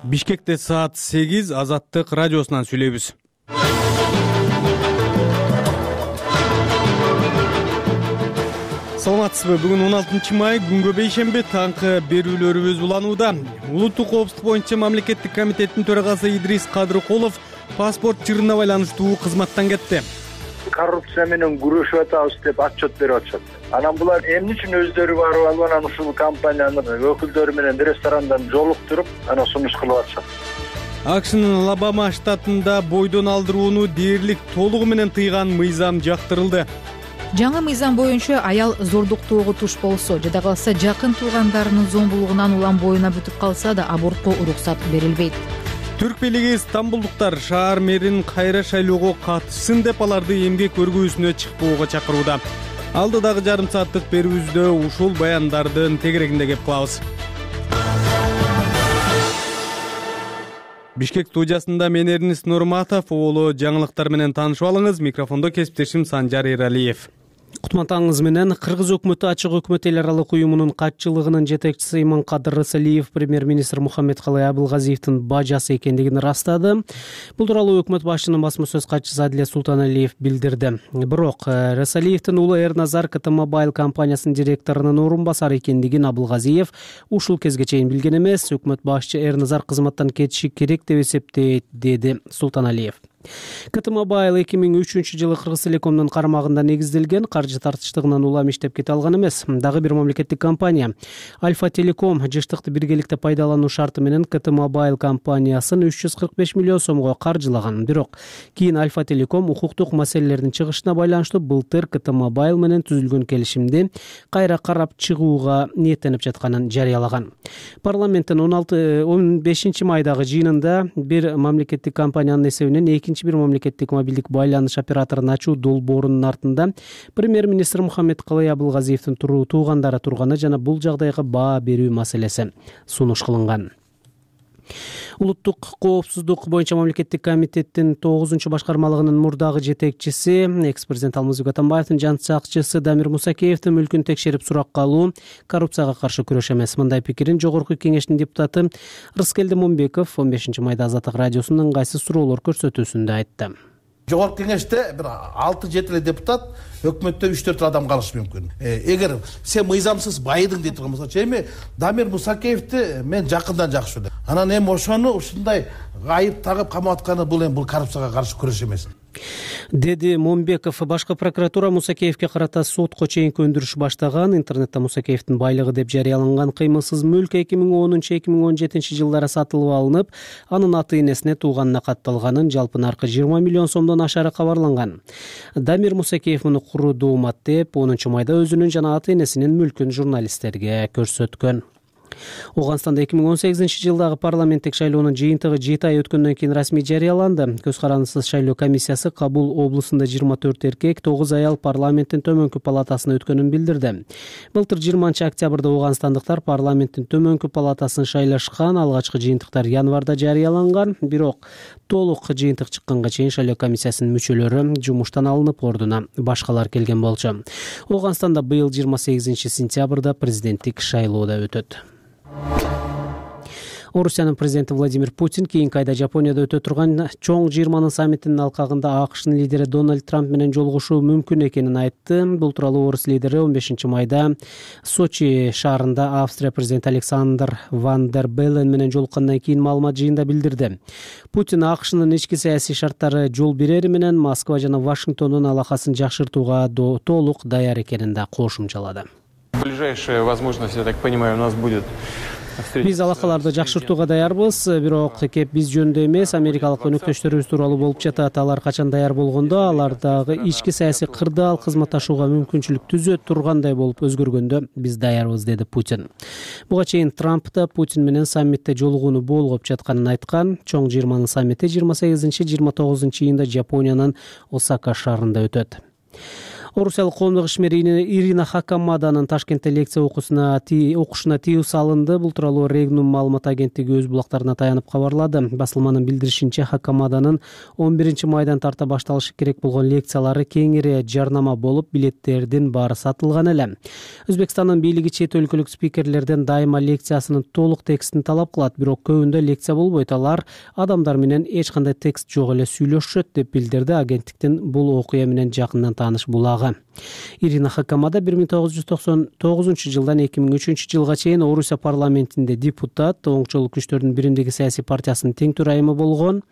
Бишкекте саат 8 Азаттык радиосунан сүйлөйбүз. Саламатсызбы? Бүгүн 16 май күнгө бейшемби таңкы берүүлөрүбүз уланууда. Улуттук коопсуздук боюнча мамлекеттик комитеттин төрагасы Идрис Кадыркулов паспорт жырына байланыштуу кызматтан кетти. Коррупция менен күрөшүп атабыз деп отчет берип атышат. Анан булар эмне үчүн өздөрү барып алып анан ушул компаниянын өкүлдөрү менен ресторандан жолуктуруп анан сунуш кылып атышат. АКШнын Алабама штатында бойдон алдырууну дээрлик толугу менен тыйган мыйзам жактырылды. Жаңы мыйзам боюнча аял зордуктоого туш болсо жада калса жакын туугандарынын зомбулугунан улам боюна бүтүп калса да абортко уруксат берилбейт. Түрк бийлиги стамбулдуктар шаар мэрин кайра шайлоого катышсын деп аларды эмгек өргүүсүнө чыкпоого чакырууда. Алдыдагы жарым сааттык берүүбүздө ушул баяндардын тегерегинде кеп кылабыз. Бишкек студиясында мен Эрнис Нурматов, уулу жаңылыктар менен таанышып алыңыз. Микрофондо кесиптешим Санжар Эралиев. Кутматаңыз менен Кыргыз өкмөтү Ачык өкмөт эл аралык уюмунун катчылыгынын жетекчиси Иманкадыр Рысалиев премьер-министр Мухаммедкалый Абылгазиевдин бажасы экендигин ырастады. Бул тууралуу өкмөт башчынын басма сөз катчысы Адилет Султаналиев билдирди. Бирок Рысалиевдин уулу Эрназар КТ-Мобайл компаниясынын директорунун орун басары экендигин Абылгазиев ушул кезге чейин билген эмес. Өкмөт башчы Эрназар кызматтан кетиши керек деп эсептейт, деди Султаналиев. КТ-Мобайл 2003-жылы Кыргыз Телекомдун карамагында негизделген, каржы тартыштыгынан улам иштеп кете алган эмес. Дагы бир мамлекеттик компания Альфа Телеком жыштыкты биргеликте пайдалануу шарты менен КТ-Мобайл компаниясын 345 миллион сомго каржылаган. Бирок кийин Альфа Телеком укуктук маселелердин чыгышына байланыштуу былтыр КТ-Мобайл менен түзүлгөн келишимди кайра карап чыгууга ниеттенип жатканын жарыялаган. Парламенттин 15 майдагы жыйынында бир мамлекеттик компаниянын эсебинен бир мамлекеттик мобилдик байланыш операторун ачуу долбоорунун артында премьер-министр Мухаммедкалый Абылгазиевдин туугандары турганы жана бул жагдайга баа берүү маселеси сунуш кылынган. Улуттук коопсуздук боюнча мамлекеттик комитеттин 9-башкармалыгынын мурдагы жетекчиси, экс-президент Алмазбек Атамбаевдин жан сакчысы Дамир Мусакеевдин мүлкүн текшерип суракка алуу коррупцияга каршы күрөш эмес. Мындай пикирин Жогорку кеңештин депутаты Рыскелди Момбеков 15 майда Азаттык радиосунун ыңгайсыз суроолор көрсөтүүсүндө айтты. Жогорку кеңеште бир 6-7 депутат, өкмөттө 3-4 адам калышы мүмкүн. Эгер сен мыйзамсыз байыдың дейт турган болсо, эми Дамир Мусакеевди мен жакындан жакшы билем. Анан эми ошону ушундай айып тагып камап атканы бул коррупцияга каршы күрөш эмес, деди Момбеков. Башкы прокуратура Мусакеевге карата сотко чейинки өндүрүш баштаган. Интернетте Мусакеевдин байлыгы деп жарыяланган кыймылсыз мүлк 2010-2017 жылдары сатылып алынып, анын ата-энесине тууганына катталганын, жалпы наркы 20 миллион сомдон ашары кабарланган. Дамир Мусакеев муну куруу умат деп 10 майда өзүнүн жана ата-энесинин мүлкүн журналисттерге көрсөткөн. Ооганстанда 2018 жылдагы парламенттик шайлоонун жыйынтыгы 7 ай өткөндөн кийин расмий жарыяланды. Көз карандысыз шайлоо комиссиясы Кабул облусунда 24 эркек, 9 аял парламенттин төмөнкү палатасына өткөнүн билдирди. Былтыр 20 октябрда ооганстандыктар парламенттин төмөнкү палатасын шайлашкан. Алгачкы жыйынтыктар январда жарыяланган. Бирок толук жыйынтык чыкканга чейин шайлоо комиссиясынын мүчөлөрү жумуштан алынып, ордуна башкалар келген болчу. Ооганстанда быйыл 28 сентябрда президенттик шайлоо да өтөт. Орусиянын президенти Владимир Путин кийинки айда Жапонияда өтө турган чоң 20 саммитинин алкагында АКШнын лидери Дональд Трамп менен жолугушуу мүмкүн экенин айтты. Бул тууралуу орус лидери 15 майда Сочи шаарында Австрия президенти Александр Ван дер Беллен менен жолуккандан кийин маалымат жыйында билдирди. Путин АКШнын ички саясий шарттары жол берери менен Москва жана Вашингтондун алакасын жакшыртууга толук даяр экенин да кошумчалады. Ближайшая возможность, я так понимаю, у нас будет. Биз алакаларды жакшыртууга даярбыз, бирок кеп биз жөнүндө эмес, америкалык өнөктөштөрүбүз тууралуу болуп жатат. Алар качан даяр болгондо, алардагы ички саясий кырдаал кызматташууга мүмкүнчүлүк түзөт тургандай болуп өзгөргөндө биз даярбыз, деди Путин. Буга чейин Трамп да Путин менен саммитте жолугууну болгоп жатканын айткан. Чоң 20 саммити 28-29 июнда Жапониянын Осака шаарында өтөт. Орусиялык коомдук ишмер Ирина Хакамаданын Ташкентте лекция окушуна тыюу салынды. Бул тууралуу Регнум маалымат агенттиги өз булактарына таянып кабарлады. Басылманын билдиришинче, Хакамаданын 11 майдан тарта башталышы керек болгон лекциялары кеңири жарнама болуп, билеттердин баары сатылган эле. Өзбекстандын бийлиги чет өлкөлүк спикерлерден дайыма лекциясынын толук текстин талап кылат, бирок көбүндө лекция болбойт. Алар адамдар менен эч кандай текст жок эле сүйлөшөт, деп билдирди агенттиктин бул окуя менен жакындан тааныш булагы. Ирина Хакамада 1999-жылдан 2003-жылга чейин Орусия парламентинде депутат, оңчолук күчтөрдүн биримдиги саясий партиясынын тең төрайымы болгон.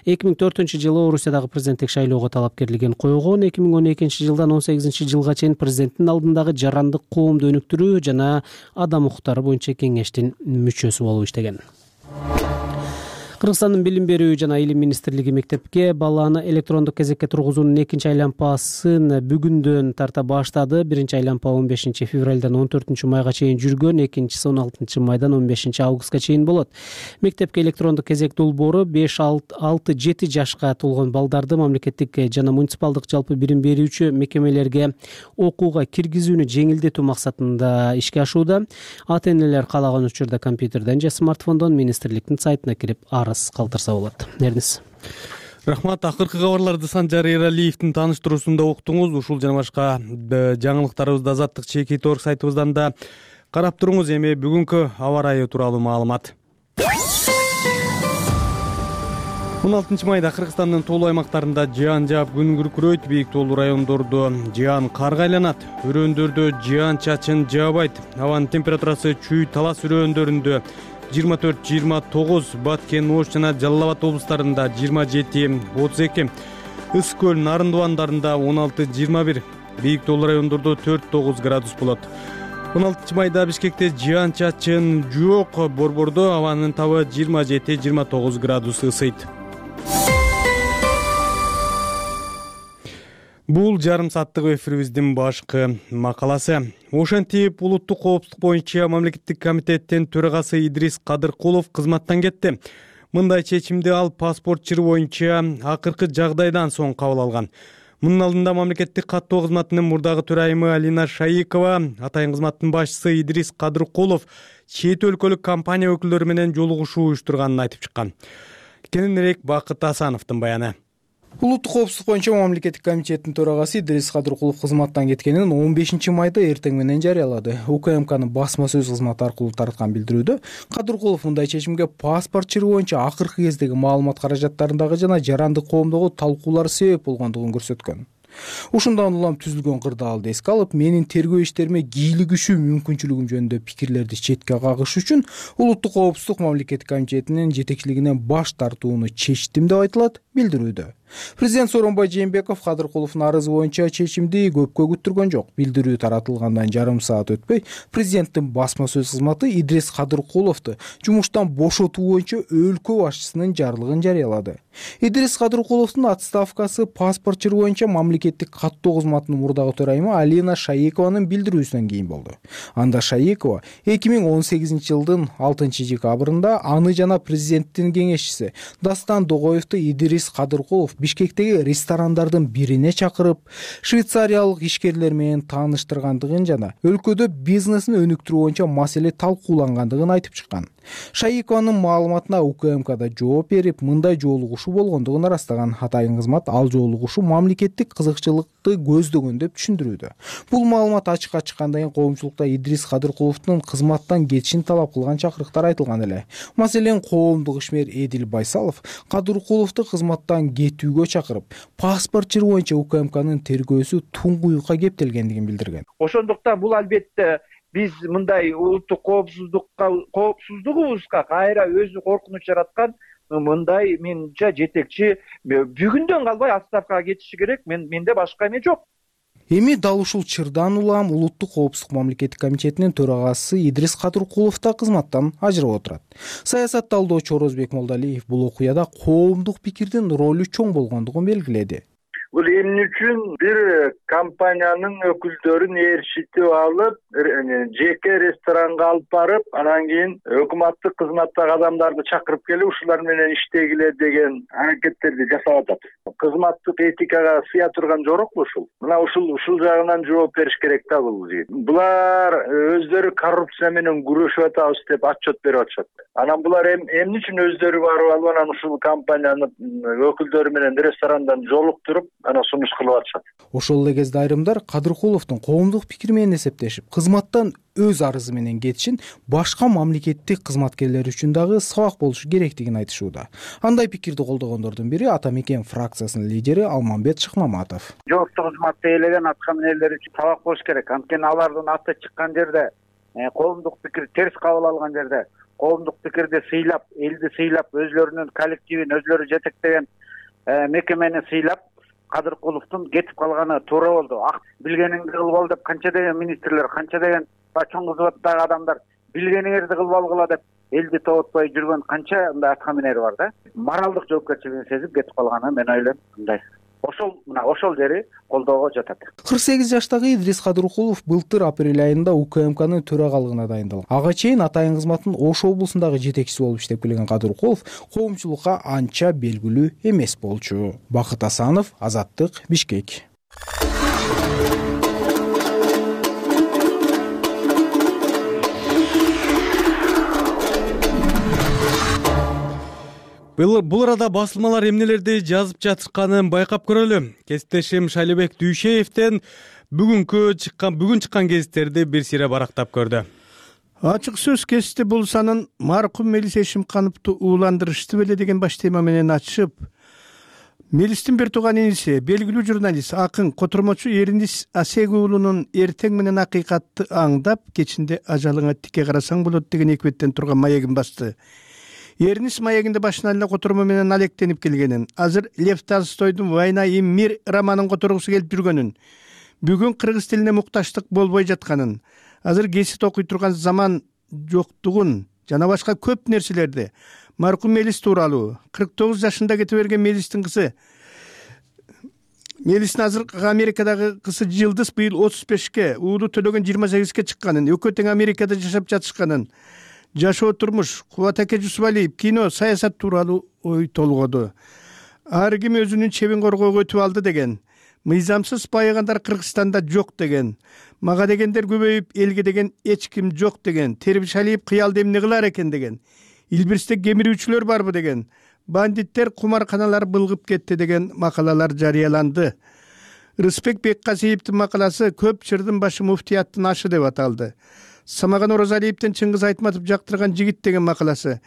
2004-жылы Орусиядагы президенттик шайлоого талапкерлигин койгон. 2012-жылдан 18-жылга чейин президенттин алдындагы жарандык коомду өнүктүрүү жана адам укуктары боюнча кеңештин мүчөсү болуп иштеген. Кыргызстандын билим берүү жана илим министрлиги мектепке баланы электрондук кезекке тургузуунун 2-айлампасын бүгүндөн тарта баштады. 1-айлампа 15 февралдан 14 майга чейин жүргөн, 2-си 16 майдан 15 августка чейин болот. Мектепке электрондук кезек долбоору 5-6-7 жашка толгон балдарды мамлекеттик жана муниципалдык жалпы билим берүүчү мекемелерге окууга киргизүүнү жеңилдетүү максатында ишке ашууда. Ата-энелер каалаган учурда компьютерден же смартфондон министрликтин сайтына кирип арыз калтырса болот. Эрнис. Рахмат. Акыркы кабарларды Санжар Эралиевдин тааныштыруусунда уктуңуз. Ушул жана башка жаңылыктарыбызды Азаттык ЧК сайтыбыздан да карап туруңуз. Эми бүгүнкү аба ырайы тууралуу маалымат. 16 майда Кыргызстандын тоолуу аймактарында жаан жаап күн күркүрөйт, бийик тоолуу райондордо жаан карга айланат. Өрөөндөрдө жаан чачын жаабайт. Абанын температурасы Чүй, Талас өрөөндөрүндө 24-29, Баткен, Ош жана Жалал Абад облустарында 27-32, Ыс көл, Нарын дубандарында 16-21, бийик тоолуу райондордо 4-9 градус болот. 16 майда Бишкекте жаан чачын жок, Борбордо абанын табы 27-29 градус ысыйт. Бул жарым сааттык эфирибиздин башкы макаласы. Ошентип улуттук коопсуздук боюнча мамлекеттик комитеттин төрагасы Идрис Кадыркулов кызматтан кетти. Мындай чечимди ал паспорт чыры боюнча акыркы жагдайдан соң кабыл алган. Мунун алдында мамлекеттик каттоо кызматынын мурдагы төрайымы Алина Шаикова, атайын кызматтын башчысы Идрис Кадыркулов чет өлкөлүк компания өкүлдөрү менен жолугушуу уюштурганын айтып чыккан. Кененирээк Бакыт Асановдун баяны. Улуттук коопсуздук боюнча мамлекеттик комитеттин төрагасы Идрис Кадыркулов кызматтан кеткенин 15 майда эртең менен жарыялады. УКМКнын басма сөз кызматы аркылуу тараткан билдирүүдө Кадыркулов мындай чечимге паспорт чыры боюнча акыркы кездеги маалымат каражаттарындагы жана жарандык коомдогу талкуулар себеп болгондугун көрсөткөн. Ушундан улам түзүлгөн кырдаалды эске алып, менин тергөө иштериме кийлигишүү мүмкүнчүлүгүм жөнүндө пикирлерди четке кагыш үчүн Улуттук коопсуздук мамлекеттик комитетинин жетекчилигинен баш тартууну чечтим деп айтылат билдирүүдө. Президент Сооронбай Жээнбеков Кадыркуловдун арызы боюнча чечимди көпкө күттүргөн жок. Билдирүү таратылгандан жарым саат өтпөй, президенттин басма сөз кызматы Идрис Кадыркуловду жумуштан бошотуу боюнча өлкө башчысынын жарлыгын жарыялады. Идрис Кадыркуловдун отставкасы паспорт чыры боюнча мамлекеттик каттоо кызматынын мурдагы төрайымы Алина Шаикованын билдирүүсүнөн кийин болду. Анда Шаикова 2018-жылдын 6-декабрында аны жана президенттин кеңешчиси Дастан Догоевду Идрис Кадыркулов Бишкектеги ресторандардын бирине чакырып, швейцариялык ишкерлер менен тааныштыргандыгын жана өлкөдө бизнесин өнүктүрүү боюнча маселе талкуулангандыгын айтып чыккан. Шаикованын маалыматына УКМКда жооп берип, мындай жолугушуу болгондугун ырастаган. Атайын кызмат ал жолугушуу мамлекеттик кызыкчылыкты көздөгөн деп түшүндүрүүдө. Бул маалымат ачыкка чыккандан кийин коомчулукта Идрис Кадыркуловдун кызматтан кетишин талап кылган чакырыктар айтылган эле. Маселен, коомдук ишмер Эдил Байсалов Кадыркуловду кызматтан кетүүгө чакырып, паспорт чыры боюнча УКМКнын тергөөсү туңгуюкка кептелгендигин билдирген. Ошондуктан бул албетте биз мындай улуттук коопсуздугубузга кайра өзү коркунуч жараткан мындай менимче жетекчи бүгүндөн калбай отставкага кетиши керек. Менде башка эме жок. Эми дал ушул чырдан улам Улуттук коопсуздук мамлекеттик комитетинин төрагасы Идрис Кадыркулов да кызматтан ажырап отурат. Саясат талдоочу Орозбек Молдалиев бул окуяда коомдук пикирдин ролу чоң болгондугун белгиледи. Бул эмне үчүн бир компаниянын өкүлдөрүн ээрчитип алып, жеке ресторанга алып барып, анан кийин өкмөттүк кызматтагы адамдарды чакырып келип, ушулар менен иштегиле деген аракеттерди жасап атат. Кызматтык этикага сыя турган жорокпу ушул? Мына ушул жагынан жооп бериш керек да бул жигит. Булар өздөрү коррупция менен күрөшүп атабыз деп отчет берип атышат. Анан булар эмне үчүн өздөрү барып алып анан ушул компаниянын өкүлдөрү менен ресторандан жолуктуруп, анан сунуш кылып атышат. Ошол эле кезде айрымдар Кадыркуловдун коомдук пикири менен эсептешип, кызматтан өз арызы менен кетишин башка мамлекеттик кызматкерлер үчүн дагы сабак болушу керектигин айтышууда. Андай пикирди колдогондордун бири Ата Мекен фракциясынын лидери Алмамбет Шыкмаматов. Жооптуу кызматты ээлеген атка минерлер үчүн сабак болуш керек. Анткени алардын аты чыккан жерде, коомдук пикир терс кабыл алган жерде, коомдук пикирди сыйлап, элди сыйлап, өзлөрүнүн коллективин өзлөрү жетектеген мекемени сыйлап, Кадыркуловдун кетип калганы туура болду. Билгениңди кылып ал деп канча деген министрлер, канча деген чоң кызматтагы адамдар билгениңерди кылып алгыла деп элди тоботпой жүргөн канча мындай атка минери бар да. Моралдык жоопкерчилигин сезип кетип калганы мен ойлойм мындай. Ошол жери колдоого жатат. 48 жаштагы Идрис Кадыркулов былтыр апрель айында УКМКнын төрагалыгына дайындалган. Ага чейин атайын кызматтын Ош облусундагы жетекчиси болуп иштеп келген Кадыркулов коомчулукка анча белгилүү эмес болчу. Бакыт Асанов, Азаттык, Бишкек. Бул арада басылмалар эмнелерди жазып жатышканын байкап көрөлү. Кесиптешим Шайлебек Дүйшеевден бүгүн чыккан гезиттерди бир сире барактап көрдү. Ачык сөз кести бул санын маркум Мелис Эшимкановду ууландырышты беле деген баш тема менен ачып, Мелистин бир тууган иниси, белгилүү журналист, акын, котормочу Эринис Асег уулунун эртең менен акыйкатты аңдап, кечинде ажалыңа тике карасаң болот деген эки беттен турган маегин басты. Эринис маегинде башына эле котормо менен алектенип келгенин, азыр Лев Толстойдун «Война и мир» романын которгусу келип жүргөнүн, бүгүн кыргыз тилине мукташтык болбой жатканын, азыр гезит окуй турган заман жоктугун жана башка көп нерселерди маркум Мелис тууралуу, 49 жашында кете берген Мелистин кызы, Мелистин азыркы Америкадагы кызы Жылдыз быйыл 35ке, уулу Төлөгөн 28ке чыкканын, экөө тең Америкада жашап жатышканын, жашоо турмуш, Кубат Аке Жусупалиев кино, саясат тууралуу ой толгоду. Ар ким өзүнүн чебин коргоого өтүп алды деген. Мыйзамсыз байыгандар Кыргызстанда жок деген. Мага дегендер көбөйүп, элге деген эч ким жок деген. Тербишалиев кыялды эмне кылар экен деген. Илбирсте кемирүүчүлөр барбы деген. Бандиттер кумарканалар былгып кетти деген макалалар жарыяланды. Рыспек Беккасиевдин макаласы «Көп чырдын башы муфтияттын ашы» деп аталды. Самаган Оразалиевден Чыңгыз Айтматов жактырган жигит деген макаласы,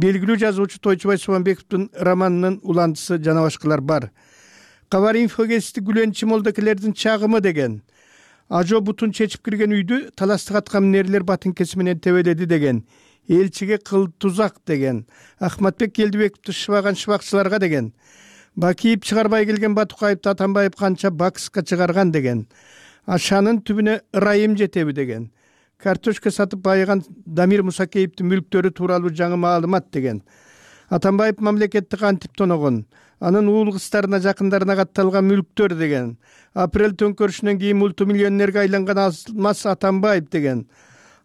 белгилүү жазуучу Тойчубай Субанбековдун романынын уландысы жана башкалар бар. Кабар инфогести Гүлен Чымолдокелердин чагымы деген. Ажо бутун чечип кирген үйдү таластык аткан минерлер батынкеси менен тебеледи деген. Элчиге кыл тузак деген. Ахматбек Келдибековду шыбаган шыбакчыларга деген. Бакиев чыгарбай келген Батукаевди Атамбаев канча бакска чыгарган деген. Ашанын түбүнө ырайым жетеби деген. Картошка сатып байыган Дамир Мусакеевдин мүлктөрү тууралуу жаңы маалымат деген. Атамбаев мамлекетти кантип тоногон, анын уул кыздарына жакындарына катталган мүлктөр деген. Апрель төңкөрүшүнөн кийин мультимиллионерге айланган Алмаз Атамбаев деген.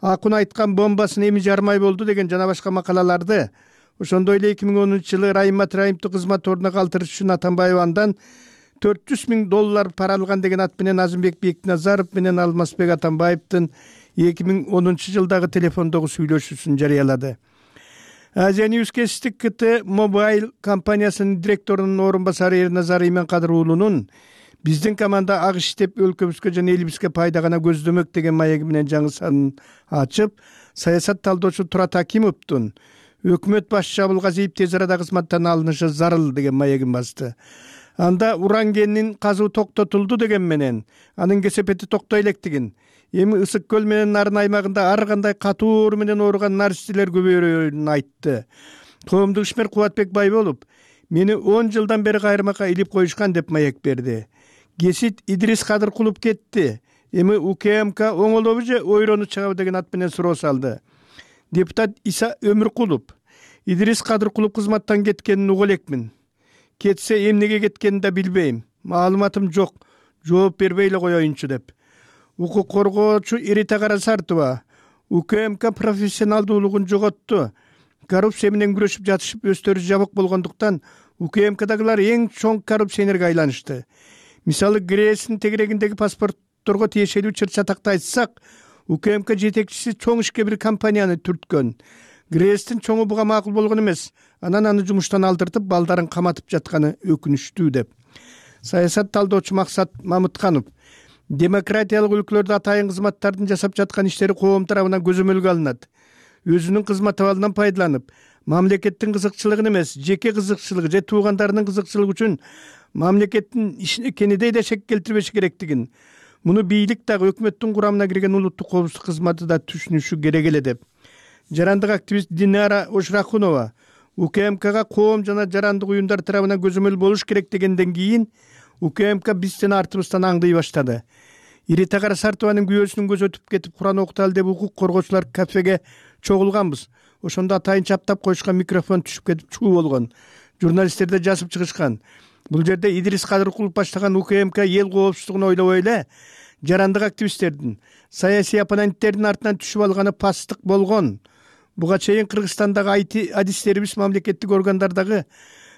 Акун айткан бомбасын эми жармай болду деген жана башка макалаларды. Ошондой эле 2010-жылы Райымат Раимовду кызмат ордуна калтырыш үчүн Атамбаев андан $400,000 пара алган деген ат менен Азымбек Бекназаров менен Алмазбек Атамбаевдин 2010-жылдагы телефондогу сүйлөшүүсүн жарыялады. Азия News Кесиптик КТ Мобайл компаниясынын директорунун орун басары Эрназар Именкадыр уулунун биздин команда ак иштеп өлкөбүзгө жана элибизге пайда гана көздөмөк деген маеги менен жаңы санын ачып, саясат талдоочу Турат Акимовдун өкмөт башчысы Абылгазиев тез арада кызматтан алынышы зарыл деген маегин басты. Анда уран кенинин казуу токтотулду деген менен анын кесепети токтой электигин, эми Ысык көл менен Нарын аймагында ар кандай катуу оору менен ооруган наристелер көбөйөрүн айтты. Коомдук ишмер Кубатбек Байболов мени 10 жылдан бери кайрымакка илип коюшкан деп маек берди. Гесит Идрис Кадыркулов кетти. Эми УКМК оңолобу же ойрону чыгабы деген ат менен суроо салды. Депутат Иса Өмүркулов Идрис Кадыркулов кызматтан кеткенин уга элекмин. Кетсе эмнеге кеткенин да билбейм. маалыматым жок, жооп бербей эле коеюнчу деп. Укук коргоочу Ирита Карасартова УКМК профессионалдуулугун жоготту. Коррупция менен күрөшүп жатышып өздөрү жабык болгондуктан УКМКдагылар эң чоң коррупционерге айланышты. Мисалы, ГРЭСтин тегерегиндеги паспортторго тиешелүү чыр-чатакты айтсак, УКМК жетекчиси чоң ишке бир компанияны түрткөн. ГРЭСтин чоңу буга макул болгон эмес. Анан аны жумуштан алдыртып, балдарын каматып жатканы өкүнүчтүү деп. Саясат талдоочу Максат Мамытканов демократиялык өлкөлөрдө атайын кызматтардын жасап жаткан иштери коом тарабынан көзөмөлгө алынат. Өзүнүн кызмат абалынан пайдаланып, мамлекеттин кызыкчылыгын эмес, жеке кызыкчылыгы же туугандарынын кызыкчылыгы үчүн мамлекеттин ишине кенедей да шек келтирбеш керектигин, муну бийлик дагы өкмөттүн курамына кирген улуттук коопсуздук кызматы да түшүнүшү керек эле деп. Жарандык активист Динара Ошрахунова УКМКга коом жана жарандык уюмдар тарабынан көзөмөл болуш керек дегенден кийин УКМК бизден артыбыздан аңдый баштады. Ирита Карасартованын күйөөсүнүн көзү өтүп кетип Куран окуталы деп укук коргоочулар кафеге чогулганбыз. Ошондо атайын чаптап коюшкан микрофон түшүп кетип чуу болгон. Журналисттер да жазып чыгышкан. Бул жерде Идрис Кадыркулов баштаган УКМК эл коопсуздугун ойлобой эле жарандык активисттердин, саясий оппоненттердин артынан түшүп алганы пасттык болгон. Буга чейин Кыргызстандагы адистерибиз мамлекеттик органдардагы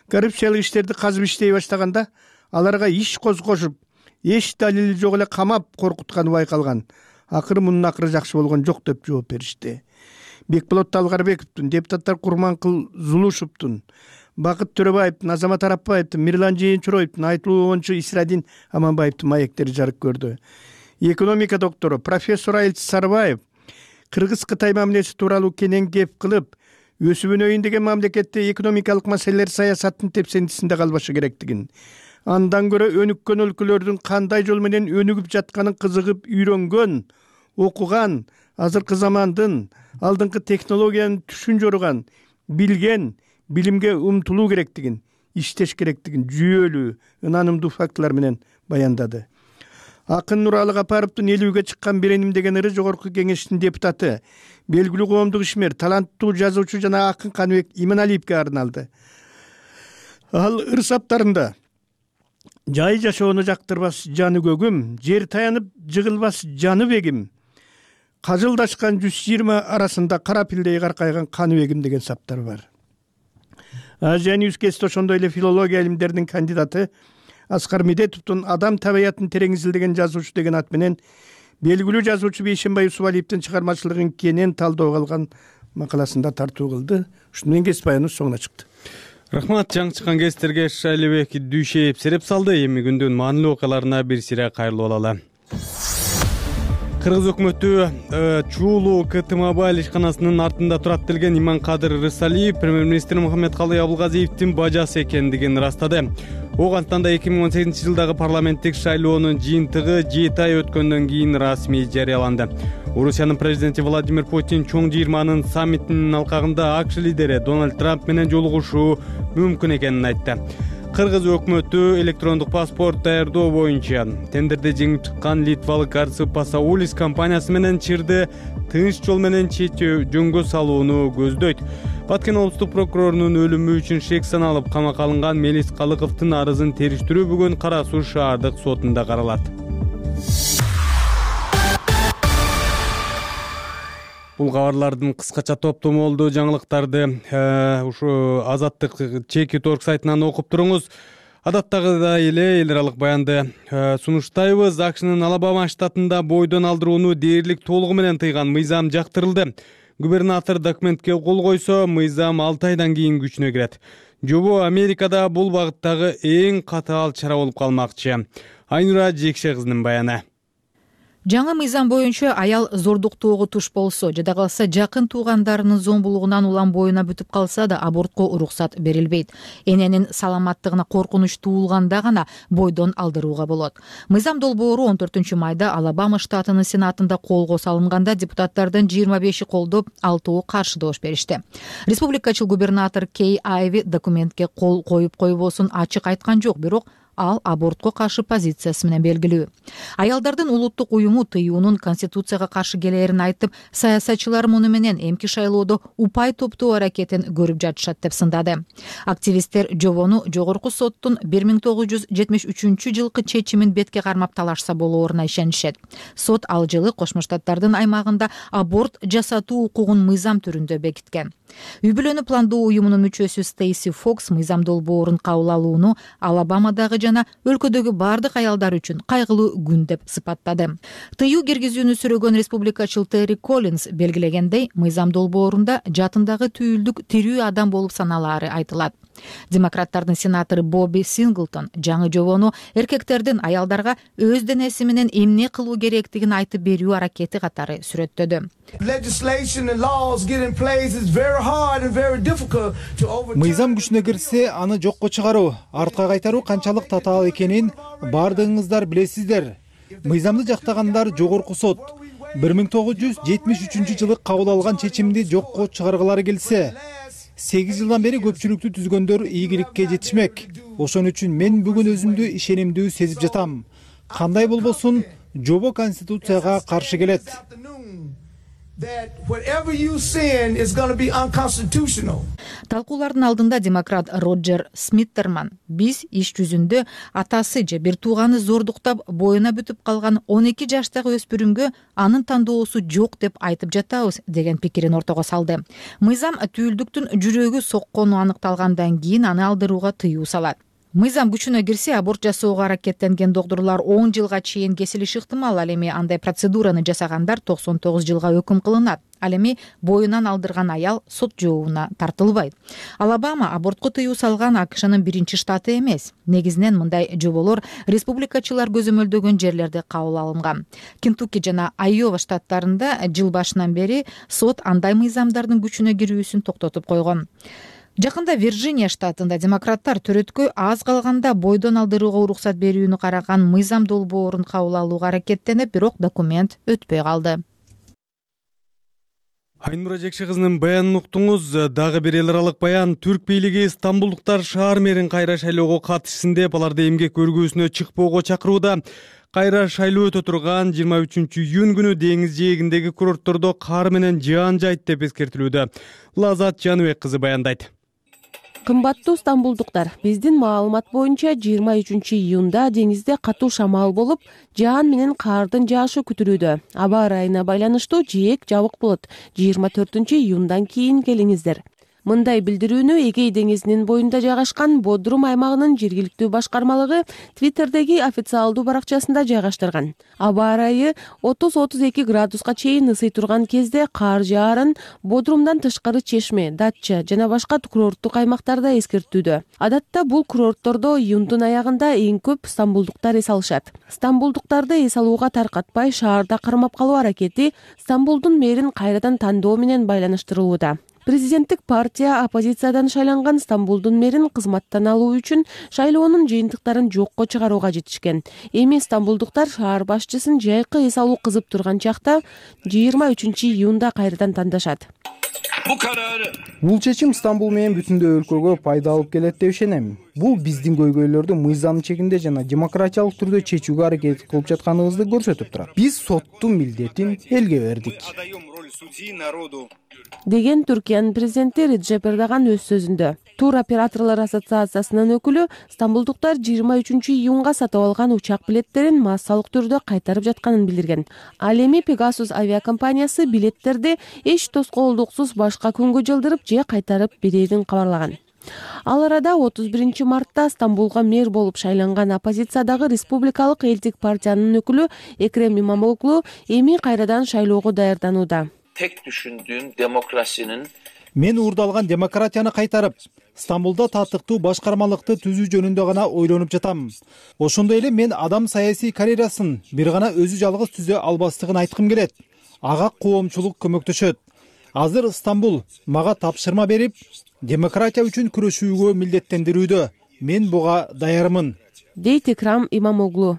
коррупциялык иштерди казып иштей баштаганда аларга иш козгошуп, эч далили жок эле камап коркутканы байкалган. Акыры мунун акыры жакшы болгон жок деп жооп беришти. Бекболот Талгарбековдун, депутаттар Курманкул Зулушевдун, Бакыт Төрөбаевдин, Азамат Арапбаевдин, Мирлан Жээнчуроевдин, Айтылуу Ончу Исрадин Аманбаевдин маектери жарык көрдү. Экономика доктору профессор Айыл Сарбаев Кыргыз-Кытай мамилеси тууралуу кенен кеп кылып, өсүп өнөйүн деген мамлекетте экономикалык маселелер саясаттын тепсендисинде калбашы керектигин, андан көрө өнүккөн өлкөлөрдүн кандай жол менен өнүгүп жатканын кызыгып үйрөнгөн, окуган, азыркы замандын алдыңкы технологиянын түшүн жоруган, билген, билимге умтулуу керектигин, иштеш керектигин жүйөлүү, ынанымдуу фактылар менен баяндады. Акын Нуралы Капаровдун элүүгө чыккан Береним деген ыры жогорку кеңештин депутаты, белгилүү коомдук ишмер, таланттуу жазуучу жана акын Каныбек Иманалиевге арналды. Ал ыр саптарында жай жашоону жактырбас жаны көгүм, жер таянып жыгылбас жаны бегим, кажылдашкан 120 арасында кара пилдей каркайган Каныбегим деген саптар бар. Азия Ньюскест ошондой эле филология илимдеринин кандидаты Аскар Медетовдун Адам табиятын терең изилдеген жазуучу деген ат менен белгилүү жазуучу Бейшенбай Усубалиевдин чыгармачылыгын кенен талдоого алган макаласында тартуу кылды. Ушуну менен кесип баяныбыз соңуна чыкты. Рахмат, жаңы чыккан кестерге Шалибек Дүйшеев сереп салды. Эми күндүн маанилүү окуяларына бир сире кайрылып алалы. Кыргыз өкмөтү Чуулуу КТ Мобайл ишканасынын артында турат делген Иманкадыр Рысалиев премьер-министр Мухаммедкалый Абылгазиевдин бажасы экендигин ырастады. Оңгантан да 2018-жылдагы парламенттик шайлоонун жыйынтыгы 7 ай өткөндөн кийин расмий жарыяланды. Орусиянын президенти Владимир Путин чоң 20-нын саммитинин алкагында АКШ лидери Дональд Трамп менен жолугушуу мүмкүн экенин айтты. Кыргыз өкмөтү электрондук паспорт даярдоо боюнча тендерде жеңип чыккан литвалык Арцып Пасаулис компаниясы менен чырды тынч жол менен жөнгө салууну көздөйт. Баткен облустук прокурорунун өлүмү үчүн шек саналып камакка алынган Мелис Калыковдун арызын териштирүү бүгүн Кара Суу шаардык сотунда каралат. Бул кабарлардын кыскача топтому болду. Жаңылыктарды ушу Азаттык Чеки.org сайтынан окуп туруңуз. Адаттагыдай эле эл аралык баянды сунуштайбыз. АКШнын Алабама штатында бойдон алдырууну дээрлик толугу менен тыйган мыйзам жактырылды. Губернатор документке кол койсо, мыйзам 6 айдан кийин күчүнө кирет. Жобо Америкада бул багыттагы эң катаал чара болуп калмакчы. Айнура Жекше кызынын баяны. Жаңы мыйзам боюнча аял зордуктоого туш болсо жада калса жакын туугандарынын зомбулугунан улам боюна бүтүп калса да абортко уруксат берилбейт. Эненин саламаттыгына коркунуч туулганда гана бойдон алдырууга болот. Мыйзам долбоору 14 майда Алабама штатынын сенатында колго салынганда депутаттардын 25 колдоп, 6 каршы добуш беришти. Республикачыл губернатор Кей Айви документке кол коюп койбосун ачык айткан жок, бирок ал абортко каршы позициясы менен белгилүү. Аялдардын улуттук уюму тыюунун конституцияга каршы келээрин айтып, саясатчылар муну менен эмки шайлоодо упай топтоо аракетин көрүп жатышат деп сындады. Активисттер жобону жогорку соттун 1973-жылкы чечимин бетке кармап талашса болооруна ишенишет. Сот ал жылы Кошмо Штаттардын аймагында аборт жасатуу укугун мыйзам түрүндө бекиткен. Үй бүлөнү пландоо уюмунун мүчөсү Стейси Фокс мыйзам долбоорун кабыл алууну Алабамадагы жана өлкөдөгү бардык аялдар үчүн кайгылуу күн деп сыпаттады. Тыюу киргизүүнү сүрөгөн республикачыл Терри Коллинс белгилегендей, мыйзам долбоорунда жатындагы түйүлдүк тирүү адам болуп саналаары айтылат. Демократтардын сенатору Бобби Синглтон жаңы жобону эркектердин аялдарга өз денеси менен эмне кылуу керектигин айтып берүү аракети катары сүрөттөдү. Мыйзам күчүнө кирсе, аны жокко чыгаруу, артка кайтаруу канчалык татаал экенин бардыгыңыздар билесиздер. Мыйзамды жактагандар жогорку сот 1973-жылы кабыл алган чечимди жокко чыгаргылары келсе, 8 жылдан бери көпчүлүктү түзгөндөр ийгиликке жетишмек. Ошон үчүн мен бүгүн өзүмдү ишенимдүү сезип жатам. Кандай болбосун, жобо конституцияга каршы келет. Талкуулардын алдында демократ Роджер Смиттерман биз иш жүзүндө атасы же бир тууганы зордуктап боюна бүтүп калган 12 жаштагы өспүрүмгө анын тандоосу жок деп айтып жатабыз деген пикирин ортого салды. Мыйзам түйүлдүктүн жүрөгү соккону аныкталгандан кийин аны алдырууга тыюу салат. Мыйзам күчүнө кирсе, аборт жасоого аракеттенген докторлор 10 жылга чейин кесилиши ыктымал. Ал эми андай процедураны жасагандар 99 жылга өкүм кылынат. Ал эми боюнан алдырган аял сот жообуна тартылбайт. Алабама абортко тыюу салган АКШнын биринчи штаты эмес. Негизинен мындай жоболор республикачылар көзөмөлдөгөн жерлерде кабыл алынган. Кентукки жана Айова штаттарында жыл башынан бери сот андай мыйзамдардын күчүнө кирүүсүн токтотуп койгон. Жакында Вирджиния штатында демократтар төрөткө аз калганда бойдон алдырууга уруксат берүүнү караган мыйзам долбоорун кабыл алууга аракеттенип, бирок документ өтпөй калды. Айнура Жекши кызынын баянын уктуңуз. Дагы бир эл аралык баян. Түрк бийлиги стамбулдуктар шаар мэрин кайра шайлоого катышсын деп, аларды эмгек өргүүсүнө чыкпоого чакырууда. Кайра шайлоо өтө турган 23-июнь күнү деңиз жээгиндеги курорттордо кар менен жаан жайт деп эскертилүүдө. Лазат Жаныбек кызы баяндайт. Кымбаттуу стамбулдуктар, биздин маалымат боюнча 23-июнда деңизде катуу шамал болуп, жаан менен кардын жаашы күтүлүүдө. Аба ырайына байланыштуу жээк жабык болот. 24-июндан кийин келиңиздер. Мындай билдирүүнү Эгей деңизинин боюнда жайгашкан Бодрум аймагынын жергиликтүү башкармалыгы Твиттердеги официалдуу баракчасында жайгаштырган. Аба ырайы 30-32 градуска чейин ысый турган кезде кар жаарын Бодрумдан тышкары Чешме, Датча жана башка курорттук аймактарда эскертүүдө. Адатта бул курорттордо июндун аягында эң көп стамбулдуктар эс алышат. Стамбулдуктарды эс алууга таркатпай шаарда кармап калуу аракети Стамбулдун мэрин кайрадан тандоо менен байланыштырылууда. Президенттик партия оппозициядан шайланган Стамбулдун мэрин кызматтан алуу үчүн шайлоонун жыйынтыктарын жокко чыгарууга жетишкен. Эми стамбулдуктар шаар башчысын жайкы эс алуу кызып турган чакта 23-июнда кайрадан тандашат. Бул чечим Стамбул менен бүтүндөй өлкөгө пайда алып келет деп ишенем. Бул биздин көйгөйлөрдү мыйзам чегинде жана демократиялык түрдө чечүүгө аракет кылып жатканыбызды көрсөтүп турат. Биз соттун милдетин элге бердик. Деген Түркиянын президенти Реджеп Эрдоган өз сөзүндө. Тур операторлор ассоциациясынын өкүлү стамбулдуктар 23-июнга сатып алган учак билеттерин массалык түрдө кайтарып жатканын билдирген. Ал эми Pegasus авиакомпаниясы билеттерди эч тоскоолдуксуз башка күнгө жылдырып же кайтарып берерин кабарлаган. Ал арада 31-мартта Стамбулга мэр болуп шайланган оппозициядагы республикалык элдик партиянын өкүлү Экрем Имамоглу эми кайрадан шайлоого даярданууда. Tek düşündüğüm demokrasinin Мен уурдалган демократияны кайтарып, Стамбулда татыктуу башкармалыкты түзүү жөнүндө гана ойлонуп жатам. Ошондой эле мен адам саясий карьерасын бир гана өзү жалгыз түзө албастыгын айткым келет. Ага коомчулук көмөктөшөт. Азыр Стамбул мага тапшырма берип, демократия үчүн күрөшүүгө милдеттендирүүдө. Мен буга даярмын, дейт Экрам Имамоглу.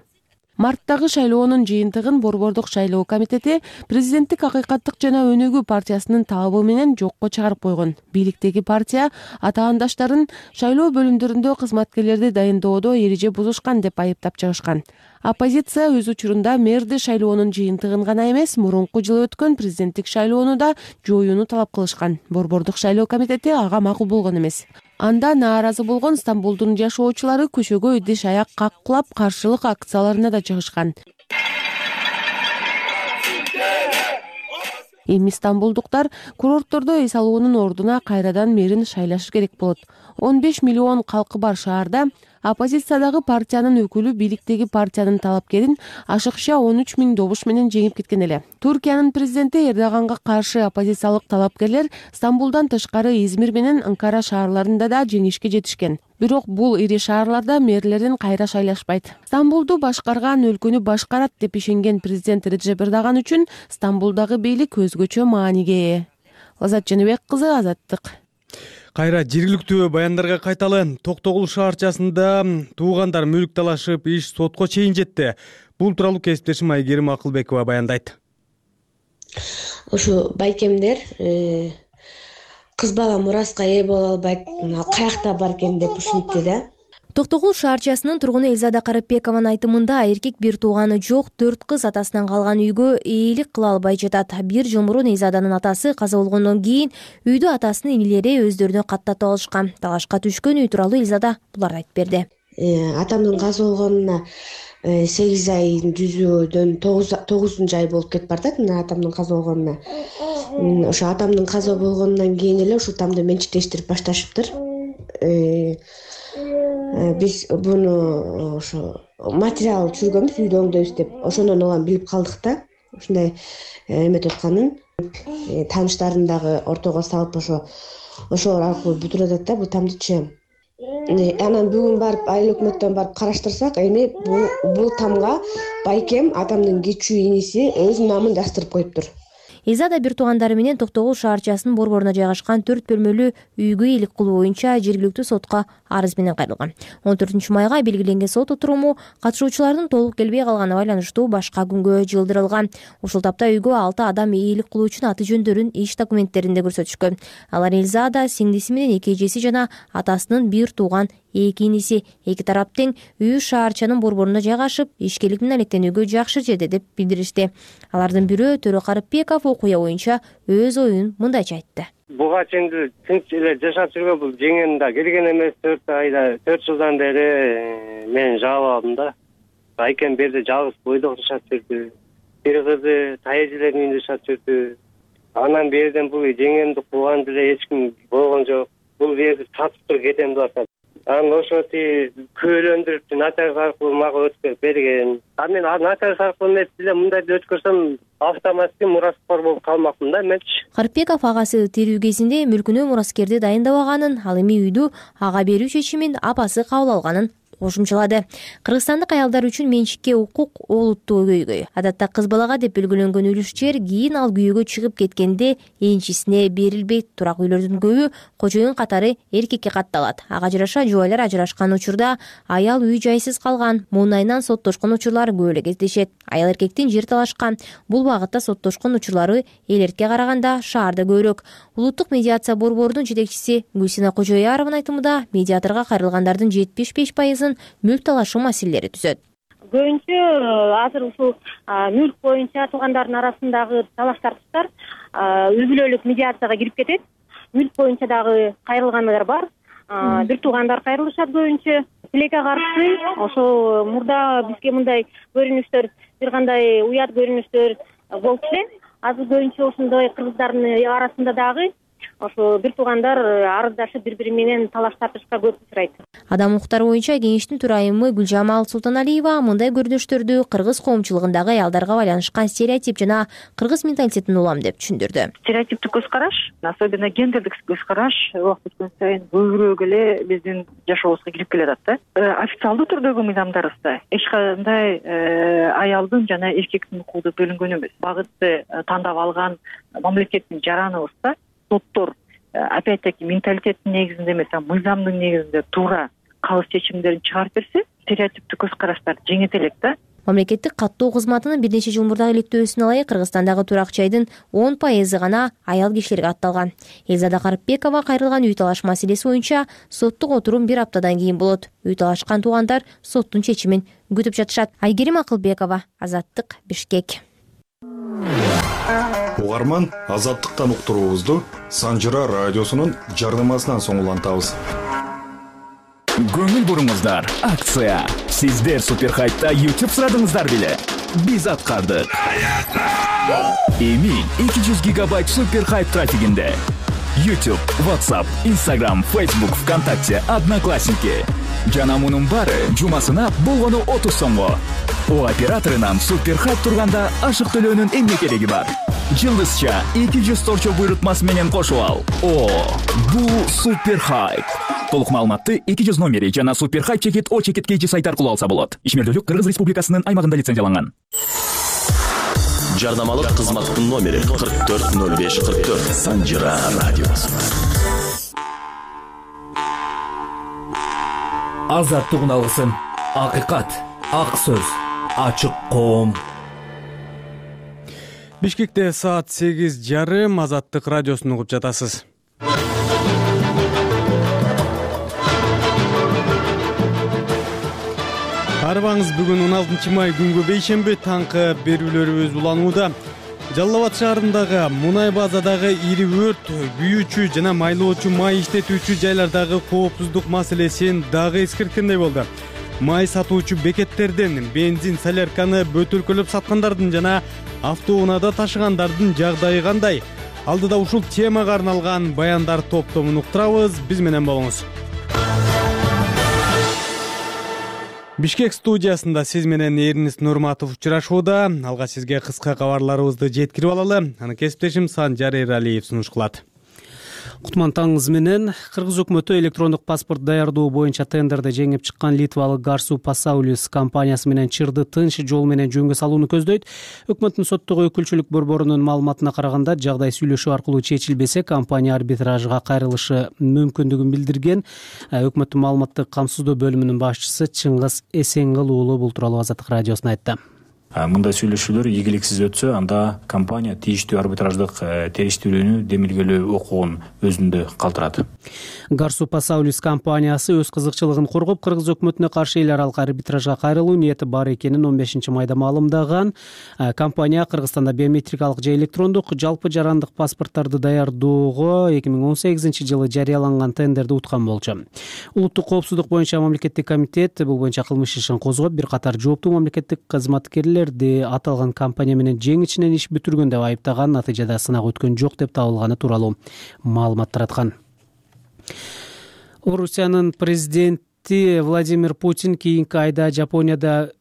Марттагы шайлоонун жыйынтыгын Борбордук шайлоо комитети президенттик Акыйкаттык жана Өнүгүү партиясынын талабы менен жокко чыгарып койгон. Бийликтеги партия атаандаштарын шайлоо бөлүмдөрүндө кызматкерлерди дайындоодо эреже бузушкан деп айыптап чыгышкан. Оппозиция өз учурунда мэрди шайлоонун жыйынтыгын гана эмес, мурунку жылы өткөн президенттик шайлоону да жоюуну талап кылышкан. Борбордук шайлоо комитети ага макул болгон эмес. Анда нааразы болгон Стамбулдун жашоочулары көчөгө идиш аяк каккылап каршылык акцияларына да чыгышкан. Эми стамбулдуктар курорттордо эс алуунун ордуна кайрадан мэрин шайлашы керек болот. 15 миллион калкы бар шаарда оппозициядагы партиянын өкүлү бийликтеги партиянын талапкерин ашыкча 13 000 добуш менен жеңип кеткен эле. Туркиянын президенти Эрдоганга каршы оппозициялык талапкерлер Стамбулдан тышкары Измир менен Анкара шаарларында да жеңишке жетишкен. Бирок бул ири шаарларда мэрлерин кайра шайлашпайт. Стамбулду башкарган өлкөнү башкарат деп ишенген президент Реджеп Эрдоган үчүн Стамбулдагы бийлик өзгөчө мааниге ээ. Лазат Жаныбек кызы, Азаттык. Кайра жергиликтүү баяндарга кайталы. Токтогул шаарчасында туугандар мүлк талашып, иш сотко чейин жетти. Бул тууралуу кесиптешим Айгерим Акылбекова баяндайт. Ушу байкемдер кыз бала мураска ээ боло албайт, каякта бар экен деп ушинтти да. Токтогул шаарчасынын тургуну Элзада Карапбекованын айтымында эркек бир тууганы жок 4 кыз атасынан калган үйгө ээлик кыла албай жатат. Бир жыл мурун Элзаданын атасы каза болгондон кийин үйдү атасынын инилери өздөрүнө каттатып алышкан. Талашка түшкөн үй тууралуу Элзада буларды айтып берди. Атамдын каза болгонуна 8 айын жүзүүдөн 9 ай болуп кетип бартат. Мына атамдын каза болгонуна. Ошо атамдын каза болгондон кийин эле ушул тамды менчиктештирип башташыптыр. Биз буну ошо материал түшүргөнбүз, үйдө оңдойбуз деп. Ошондон улам билип калдык да. Ушундай эметип атканын тааныштарын дагы ортого салып ошол аркылуу бүтүрүп атат да бул тамдычы. Анан бүгүн барып айыл өкмөттөн барып караштырсак, эми бул тамга байкем атамдын кичүү иниси өз намын жаздырып коюптур. Элзада бир туугандары менен Токтогул шаарчасынын борборуна жайгашкан 4 бөлмөлүү үйгө ээлик кылуу боюнча жергиликтүү сотко арыз менен кайрылган. 14 майга белгиленген сот отуруму катышуучулардын толук келбей калганына байланыштуу башка күнгө жылдырылган. Ушул тапта үйгө 6 адам ээлик кылуу үчүн аты жөндөрүн иш документтеринде көрсөтүшкөн. Алар Элзада, сиңдиси менен 2 эжеси жана атасынын бир тууган 2 иниси. Эки тарап тең үй шаарчанын борборуна жайгашып, ишкерлик менен алектенүүгө жакшы жерде деп билдиришти. Алардын бирөө Төрө Карапбеков окуя боюнча өз оюн мындайча айтты. Буга чейин тынч эле жашап жүргөн бул жеңем да келген эмес. 4 жылдан бери мен жаап алдым да. Байкем берде жалгыз бойдок жашап жүрдү. Бир кызы тайэжелердин үйүндө жашап жүрдү. Анан берден бул жеңемди кууган деле эч ким болгон жок. Бул жерди сатып туруп кетем деп атат. Анан ошоти күбөлөндүрүп нотариус аркылуу мага өткөрүп берген. Мен нотариус аркылуу эмес эле мындайды өткөрсөм автоматически мураскор болуп калмакмын да менчи. Карапбеков агасы тирүү кезинде мүлкүнө мураскерди дайындабаганын, ал эми үйдү ага берүү чечимин апасы кабыл алганын кошумчалады. Кыргызстандык аялдар үчүн менчикке укук олуттуу көйгөй. Адатта кыз балага деп белгиленген үлүш жер кийин ал күйөөгө чыгып кеткенде энчисине берилбейт. Турак үйлөрдүн көбү кожоюн катары эркекке катталат. Ага жараша жубайлар ажырашкан учурда аял үй жайсыз калган, муунайынан соттошкон учурлар көп эле кездешет. Аял эркектин жер талашкан. Бул багытта соттошкон учурлары эл эркекке караганда шаарда көбүрөөк. Улуттук медиация борборунун жетекчиси Гүлсина Кожоярованын айтымында медиаторго кайрылгандардын 75% мүлк талашуу маселелери түзөт. Көбүнчө азыр ушул мүлк боюнча туугандардын арасындагы талаш тартыштар үй бүлөлүк медиацияга кирип кетет. Мүлк боюнча дагы кайрылгандар бар. Бир туугандар кайрылышат көбүнчө. Тилекке каршы ошол мурда бизге мындай көрүнүштөр, бир кандай уят көрүнүштөр болуп эле. Азыр көбүнчө ошондой кыргыздардын арасында дагы ошо бир туугандар арыздашып бири-бири менен талаш тартышка көп учурайт. Адам укуктары боюнча кеңештин төрайымы Гүлжамал Султаналиева мындай көрүнүштөрдү кыргыз коомчулугундагы аялдарга байланышкан стереотип жана кыргыз менталитетин улам деп түшүндүрдү. Стереотиптик көз караш, особенно гендердик көз караш убакыт өткөн сайын көбүрөөк эле биздин жашообузга кирип келатат да. Официалдуу түрдөгү мыйзамдарыбызда эч кандай аялдын жана эркектин укугу бөлүнгөн эмес. Багытты тандап алган мамлекеттин жараныбызда соттор опять-таки менталитеттин негизинде эмес, мыйзамдын негизинде туура кабыл чечимдерин чыгарып берсе, стереотиптик көз караштар жеңет элек да. Мамлекеттик каттоо кызматынын бир нече жыл мурдагы иликтөөсүнө ылайык Кыргызстандагы турак жайдын 10% гана аял кишилерге атталган. Элзада Карыпбекова кайрылган үй талаш маселеси боюнча соттук отурум бир аптадан кийин болот. Үй талашкан туугандар соттун чечимин күтүп жатышат. Айгерим Акылбекова, Азаттык, Бишкек. Угарман, Азаттыктан уктуруубузду Санжыра радиосунун жардамасынан соң улантабыз. Көңүл буруңуздар, акция. Сиздер Суперхайтта YouTube сурадыңыздар беле? Биз аткардык. Эми 200 гигабайт Суперхайт трафигинде. YouTube, WhatsApp, Instagram, Facebook, ВКонтакте, Одноклассники. Жана мунун баары жумасына болгону 30 сомго. О операторунан Суперхайт турганда ашык төлөөнүн эмне кереги бар? Жылдызча 200 торчо буйрутмасы менен кошуп ал. О, бул Суперхайт. Толук маалыматты 200 номери жана Суперхайт чекит О чекит KG сайт аркылуу алса болот. Ишмердүүлүк Кыргыз Республикасынын аймагында лицензияланган. Жардамалык кызматтын номери 440544. Санжыра радиосу. Азаттыгын алгысын. Акыйкат, ак сөз, ачык коом. Бишкекте саат 8:30 Азаттык радиосун угуп жатасыз. Арбаңыз бүгүн 16 май күнгө бейшемби таңкы берүүлөрүбүз уланууда. Жалал Абад шаарындагы мунай базадагы ири өрт, күйүүчү жана майлоочу май иштетүүчү жайлардагы коопсуздук маселесин дагы эскерткендей болду. Май сатуучу бекеттерден бензин солярканы бөтөлкөлөп саткандардын жана автоунаада ташыгандардын жагдайы кандай? Алдыда ушул темага арналган баяндар топтомун уктурабыз. Биз менен болуңуз. Бишкек студиясында сиз менен Эрнис Нурматов учурашууда. Алга сизге кыска кабарларыбызды жеткирип алалы. Аны кесиптешим Санжар Эралиев сунуш кылат. Кутман таңыңыз менен. Кыргыз өкмөтү электрондук паспорт даярдоо боюнча тендерде жеңип чыккан литвалык Garsu Pasaulis компаниясы менен чырды тынч жол менен жөнгө салууну көздөйт. Өкмөттүн соттогу өкүлчүлүк борборунун маалыматына караганда, жагдай сүйлөшүү аркылуу чечилбесе, компания арбитражга кайрылышы мүмкүндүгүн билдирген. Өкмөттүн маалыматтык камсыздоо бөлүмүнүн башчысы Чыңгыз Эсенгыл уулу бул тууралуу Азаттык радиосуна айтты. Мындай сүйлөшүүлөр ийгиликсиз өтсө, анда компания тийиштүү арбитраждык териштирүүнү демилгелөө укугун өзүндө калтырат. Garsu Pasaulis компаниясы өз кызыкчылыгын коргоп, Кыргыз өкмөтүнө каршы эл аралык арбитражга кайрылуу ниети бар экенин 15 майда маалымдаган. Компания Кыргызстанда биометрикалык же электрондук жалпы жарандык паспорттарды даярдоого 2018-жылы жарыяланган тендерди уткан болчу. Улуттук коопсуздук боюнча мамлекеттик комитет бул боюнча кылмыш ишин козгоп, бир катар жооптуу мамлекеттик кызматкерлерди аталган компания менен жең ичинен иш бүтүргөн деп айыптаган, натыйжада сынак өткөн жок деп табылганы тууралуу маалымат тараткан. Орусиянын президенти Владимир Путин кийинки айда Жапонияда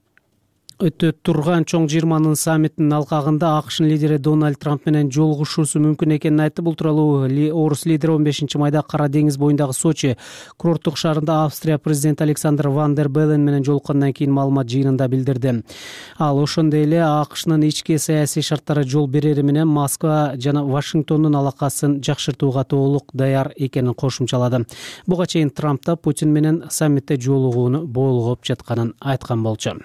өтө турган чоң 20 саммитинин алкагында АКШнын лидери Дональд Трамп менен жолугушуусу мүмкүн экенин айтты. Бул тууралуу орус лидери 15 майда Кара деңиз боюндагы Сочи курорттук шаарында Австрия президенти Александр Ван дер Беллен менен жолуккандан кийин маалымат жыйынында билдирди. Ал ошондой эле АКШнын ички саясий шарттары жол берери менен Москва жана Вашингтондун алакасын жакшыртууга толук даяр экенин кошумчалады. Буга чейин Трамп да Путин менен саммитте жолугууну болгоп жатканын айткан болчу.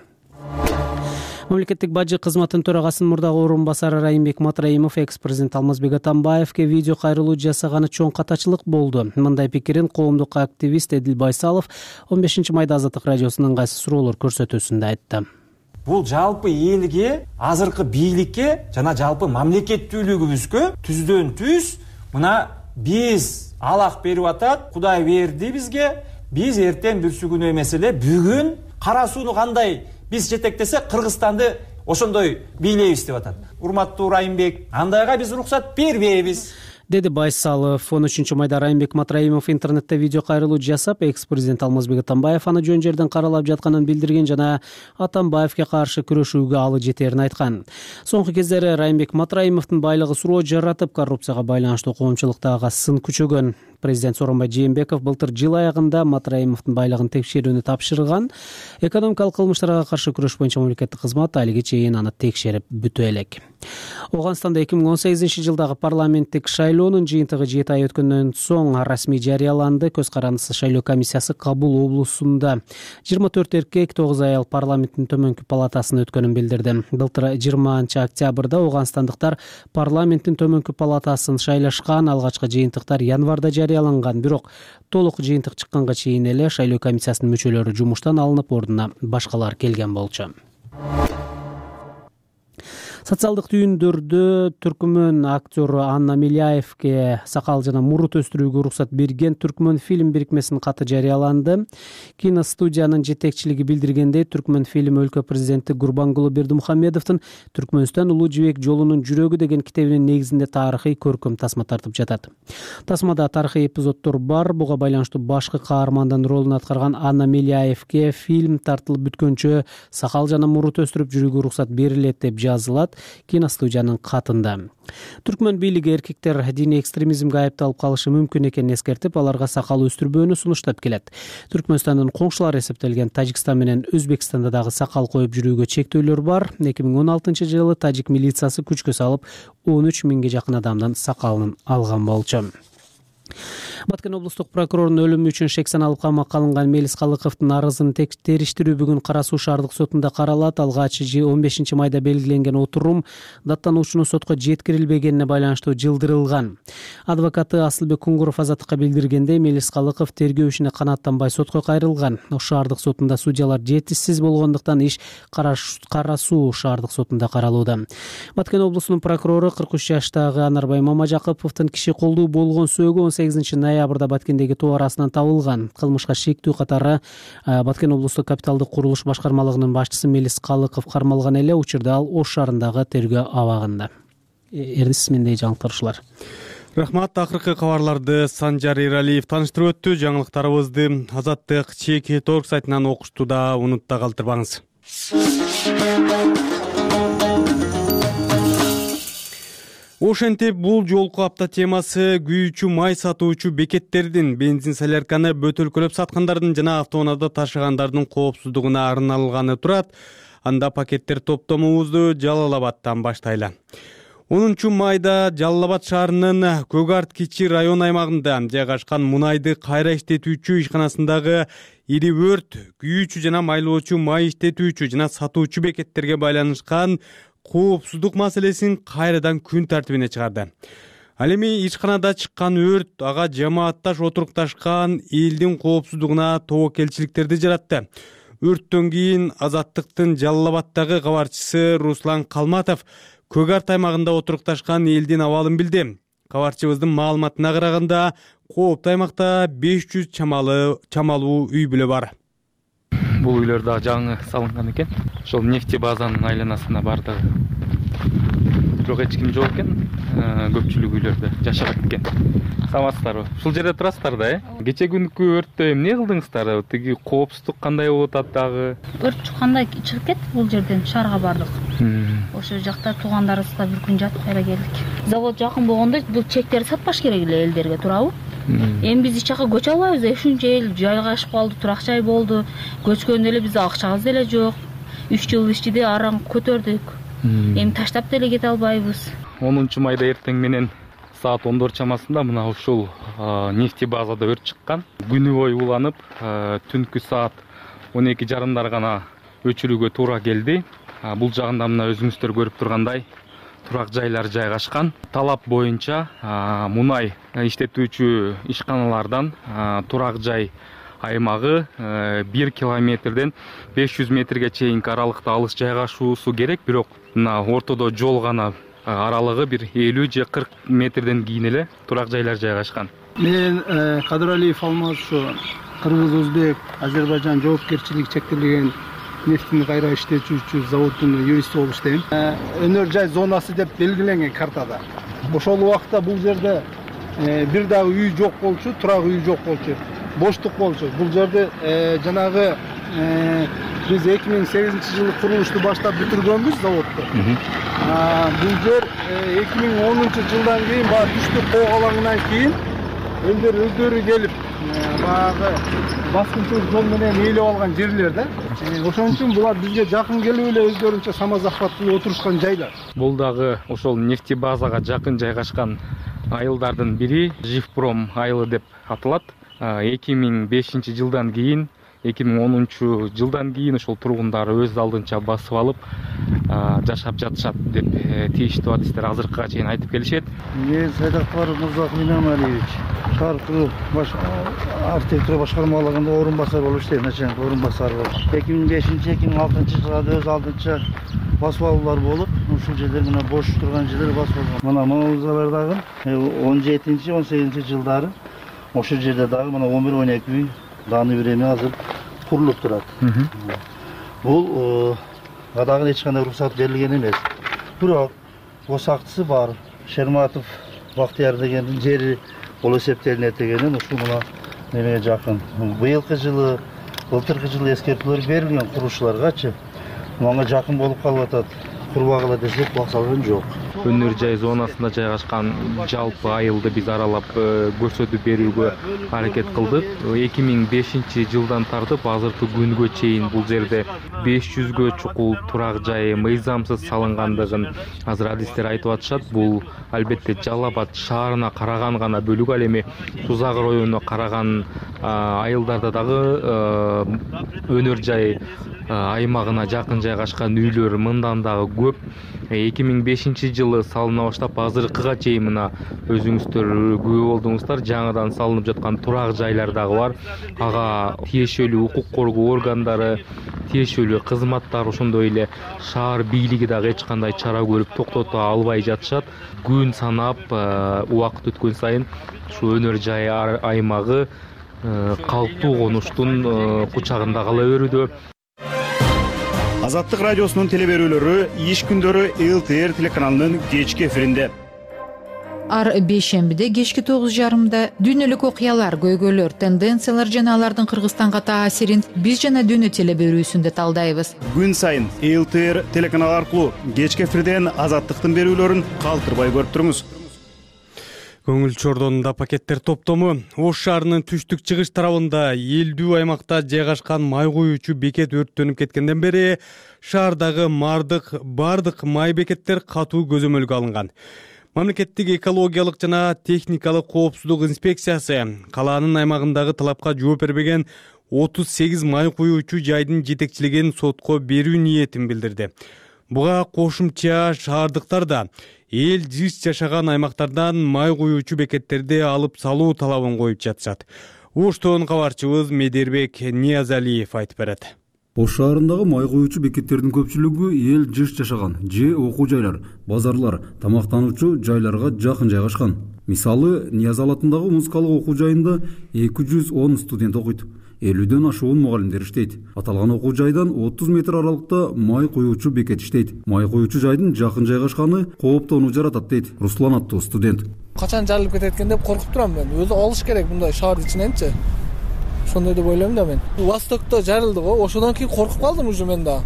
Мамлекеттик бажы кызматынын төрагасынын мурдагы орун басары Райымбек Матраимов экс-президент Алмазбек Атамбаевке видео кайрылуу жасаганы чоң катачылык болду. Мындай пикирин коомдук активист Эдил Байсалов 15 майда Азаттык радиосунун кайсы суроолор көрсөтүүсүндө айтты. Бул жалпы элге, азыркы бийликке жана жалпы мамлекеттүүлүгүбүзгө түздөн түз мына биз алак берип атат, Кудай берди бизге, биз эртең бүрсүгүнө эмес эле бүгүн кара сууну кандай биз жетектесе Кыргызстанды ошондой бийлейбиз деп атат. Урматтуу Райымбек, андайга биз уруксат бербейбиз, деди Байсалов. 13 майда Райымбек Матраимов интернетте видео кайрылуу жасап, экс-президент Алмазбек Атамбаев аны жөн жерден каралап жатканын билдирген жана Атамбаевке каршы күрөшүүгө алы жетерин айткан. Соңку кездери Райымбек Матраимовдун байлыгы суроо жаратып, коррупцияга байланыштуу коомчулукта сын күчөгөн. Президент Сооронбай Жээнбеков былтыр жыл аягында Матраимовдун байлыгын текшерүүнү тапшырган. Экономикалык кылмыштарга каршы күрөш боюнча мамлекеттик кызмат алиге чейин аны текшерип бүтө элек. Ооганстанда 2018 жылдагы парламенттик шайлоонун жыйынтыгы 7 ай өткөндөн соң расмий жарыяланды. Көз карандысы шайлоо комиссиясы Кабул облусунда 24 эркек, 9 аял парламенттин төмөнкү палатасына өткөнүн билдирди. Былтыр 20 октябрда ооганстандыктар парламенттин төмөнкү палатасын шайлашкан. Алгачкы жыйынтыктар январда жарыяланган, бирок толук жыйынтык чыкканга чейин эле шайлоо комиссиясынын мүчөлөрү жумуштан алынып, ордуна башкалар келген болчу. Социалдык түйүндөрдө түркмөн актеру Анна Миляевге сакал жана мурут өстүрүүгө уруксат берген Түркмөн фильм бирикмесинин каты жарыяланды. Киностудиянын жетекчилиги билдиргендей, Түркмөн фильм өлкө президенти Гурбангулы Бердимухамедовдун Түркмөнстан улуу жибек жолунун жүрөгү деген китебинин негизинде тарыхый көркөм тасма тартып жатат. Тасмада тарыхый эпизоддор бар. Буга байланыштуу башкы каармандын ролун аткарган Анна Миляевге фильм тартылып бүткөнчө сакал жана мурут өстүрүп жүрүүгө уруксат берилет деп жазылат киностудиянын катында. Түркмөн бийлиги эркектер диний экстремизмге айыпталып калышы мүмкүн экенин эскертип, аларга сакал өстүрбөөнү сунуштап келет. Түркмөнстандын коңшулары эсептелген Тажикстан менен Өзбекстанда дагы сакал коюп жүрүүгө чектөөлөр бар. 2016 жылы тажик милициясы күчкө салып 13 миңге жакын адамдын сакалын алган болчу. Баткен облустук прокурорунун өлүмү үчүн шек саналып камакка алынган Мелис Калыковдун арызын териштирүү бүгүн Кара Суу шаардык сотунда каралат. Алгач 15 майда белгиленген отурум даттануучунун сотко жеткирилбегенине байланыштуу жылдырылган. Адвокаты Асылбек Кунгуров Азаттыкка билдиргендей, Мелис Калыков тергөө ишине канааттанбай сотко кайрылган. Шаардык сотунда судьялар жетишсиз болгондуктан иш Кара Суу шаардык сотунда каралууда. Баткен облусунун прокурору 43 жаштагы Анарбай Мамажаковдун киши колдуу болгон сөөгү 18 ноябрда Баткендеги тоо арасынан табылган. Кылмышка шектүү катары Баткен облустук капиталдык курулуш башкармалыгынын башчысы Мелис Калыков кармалган эле. Учурда ал Ош шаарындагы тергөө абагында. Эрдис мендей жаңылыктар ушулар. Рахмат. Акыркы кабарларды Санжар Эралиев тааныштырып өттү. Жаңылыктарыбызды Азаттык ЧК.org сайтынан окуштуда унутта калтырбаңыз. Ошентип бул жолку апта темасы күйүүчү май сатуучу бекеттердин, бензин солярканы бөтөлкөлөп саткандардын жана автоунаада ташыгандардын коопсуздугуна арналганы турат. Анда пакеттер топтомубузду Жалал Абадтан баштайлы. 10 майда Жалал Абад шаарынын Көк Арт кичи район аймагында жайгашкан мунайды кайра иштетүүчү ишканасындагы ири өрт күйүүчү жана майлоочу май иштетүүчү жана сатуучу бекеттерге байланышкан коопсуздук маселесин кайрадан күн тартибине чыгарды. Ал эми ишканада чыккан өрт ага жамаатташ отурукташкан элдин коопсуздугуна тобокелчиликтерди жаратты. Өрттөн кийин Азаттыктын Жалал Абадтагы кабарчысы Руслан Калматов Көк Арт аймагында отурукташкан элдин абалын билди. Кабарчыбыздын маалыматына караганда, кооптуу аймакта 500 чамалуу үй бүлө бар. Бул үйлөр да жаңы салынган экен. Ошол нефти базанын айланасына бардыгы. Бирок эч ким жок экен. Көпчүлүк үйлөрдө жашап экен. Саламатсыздарбы? Ушул жерде турасыздар да, Кече күнкү өрттө эмне кылдыңыздар? Тиги коопсуздук кандай болуп атат дагы? Өрт чыкканда чыгып кеттик бул жерден, шаарга бардык. Ошол жакта туугандарыбызга бир күн жатып кайра келдик. Завод жакын болгондо бул чектерди сатпаш керек эле элдерге, туурабы? Эми биз эч жака көчө албайбыз, ушунча эл жайгашып калды, турак жай болду. Көчкөндө эле бизде акчабыз деле жок. 3 жыл ичинде араң көтөрдүк. Эми таштап деле кете албайбыз. 10 майда эртең менен саат 14 чамасында мына ушул нефти базада өрт чыккан. Күнү бою уланып, түнкү саат 12:30 гана өчүрүүгө туура келди. Бул жагында мына өзүңүздөр көрүп тургандай турак жайлар жайгашкан. Талап боюнча мунай иштетүүчү ишканалардан турак жай аймагы 1 километрден 500 метрге чейинки аралыкта алыс жайгашуусу керек, бирок мына ортодо жол гана аралыгы бир 50 же 40 метрден кийин эле турак жайлар жайгашкан. Мен Кадыралиев Алмаз, ушу Кыргыз Өзбек Азербайжан жоопкерчилиги чектелген нефтини кайра иштетүүчү заводдун юристи болуп иштейм. Өнөр жай зонасы деп белгиленген картада. Ошол убакта бул жерде бир дагы үй жок болчу, турак үй жок болчу, боштук болчу. Бул жерде жанагы биз 2008 жылы курулушту баштап бүтүргөнбүз заводду. Бул жер 2010 жылдан кийин баягы түштүк коогалаңынан кийин элдер өздөрү келип баягы баскынчылык жол менен ээлеп алган жерлер да. Ошон үчүн булар бизге жакын келип эле өздөрүнчө самозахват кылып отурушкан жайлар. Бул дагы ошол нефтебазага жакын жайгашкан айылдардын бири, Живпром айылы деп аталат. 2005 жылдан кийин 2010 жылдан кийин ошол тургундары өз алдынча басып алып жашап жатышат деп тийиштүү адистер азыркыга чейин айтып келишет. Мен Сайдакбаров Мырзахмин Инамалиевич, шаар куруу архитектура башкармалыгында орун басар болуп иштейм, начальник орун басары болуп. 2005-2006 жылда өз алдынча басып алуулар болуп, ушул жерлер мына бош турган жерлер басып алган. Мына Маңалзалар дагы 17-18 жылдары ошол жерде дагы мына 11-12 үй даны бир эме азыр курулуп турат. Бул дагы эч кандай уруксат берилген эмес. Бирок осактысы бар. Шерматов Бактияр дегендин жери бул эсептелинет дегенин ушул мына немеге жакын. Быйылкы жылы, былтыркы жылы эскертүүлөр берилген курушчуларгачы. Мага жакын болуп калып атат. Курбагыла десек бак салган жок. Өнөр жай зонасында жайгашкан жалпы айылды биз аралап көрсөтүп берүүгө аракет кылдык. 2005 жылдан тартып азыркы күнгө чейин бул жерде 500гө чукул турак жай мыйзамсыз салынгандыгын азыр адистер айтып атышат. Бул албетте Жалал Абад шаарына караган гана бөлүк, ал эми Сузак районуна караган айылдарда дагы өнөр жай аймагына жакын жайгашкан үйлөр мындан дагы көп. 2005 жылы салына баштап азыркыга чейин мына өзүңүздөр күбө болдуңуздар, жаңыдан салынып жаткан турак жайлар дагы бар. Ага тиешелүү укук коргоо органдары, тиешелүү кызматтар, ошондой эле шаар бийлиги дагы эч кандай чара көрүп токтото албай жатышат. Күн санап убакыт өткөн сайын ушу өнөр жай аймагы калктуу конуштун кучагында кала берүүдө. Азаттык радиосунун телеберүүлөрү иш күндөрү ЛТР телеканалынын кечки эфиринде. Ар бейшембиде кечки 9:30 дүйнөлүк окуялар, көйгөйлөр, тенденциялар жана алардын Кыргызстанга таасирин биз жана дүйнө телеберүүсүндө талдайбыз. Күн сайын ЛТР телеканалы аркылуу кечки эфирден Азаттыктын берүүлөрүн калтырбай көрүп туруңуз. Көңүл чордонунда пакеттер топтому Ош шаарынын түштүк чыгыш тарабында элдүү аймакта жайгашкан май куюучу бекет өрттөнүп кеткенден бери шаардагы бардык май бекеттер катуу көзөмөлгө алынган. Мамлекеттик экологиялык жана техникалык коопсуздук инспекциясы калаанын аймагындагы талапка жооп бербеген 38 май куюучу жайдын жетекчилигин сотко берүү ниетин билдирди. Буга кошумча шаардыктар да эл жыш жашаган аймактардан май куюучу бекеттерди алып салуу талабын коюп жатышат. Оштон кабарчыбыз Медербек Ниязалиев айтып берет. Ош шаарындагы май куюучу бекеттердин көпчүлүгү эл жыш жашаган же окуу жайлар, базарлар, тамактануучу жайларга жакын жайгашкан. Мисалы, Ниязал атындагы музыкалык окуу жайында 210 студент окуйт. 50ден ашуун мугалимдер иштейт. Аталган окуу жайдан 30 метр аралыкта май куюучу бекет иштейт. Май куюучу жайдын жакын жайгашканы кооптоону жаратат дейт Руслан аттуу студент. Качан жарылып кетет экен деп коркуп турам мен. Өзү алыш керек мындай шаардын ичиненчи. Ошондой деп ойлойм да мен. Востокто жарылды го, ошондон кийин коркуп калдым уже мен да.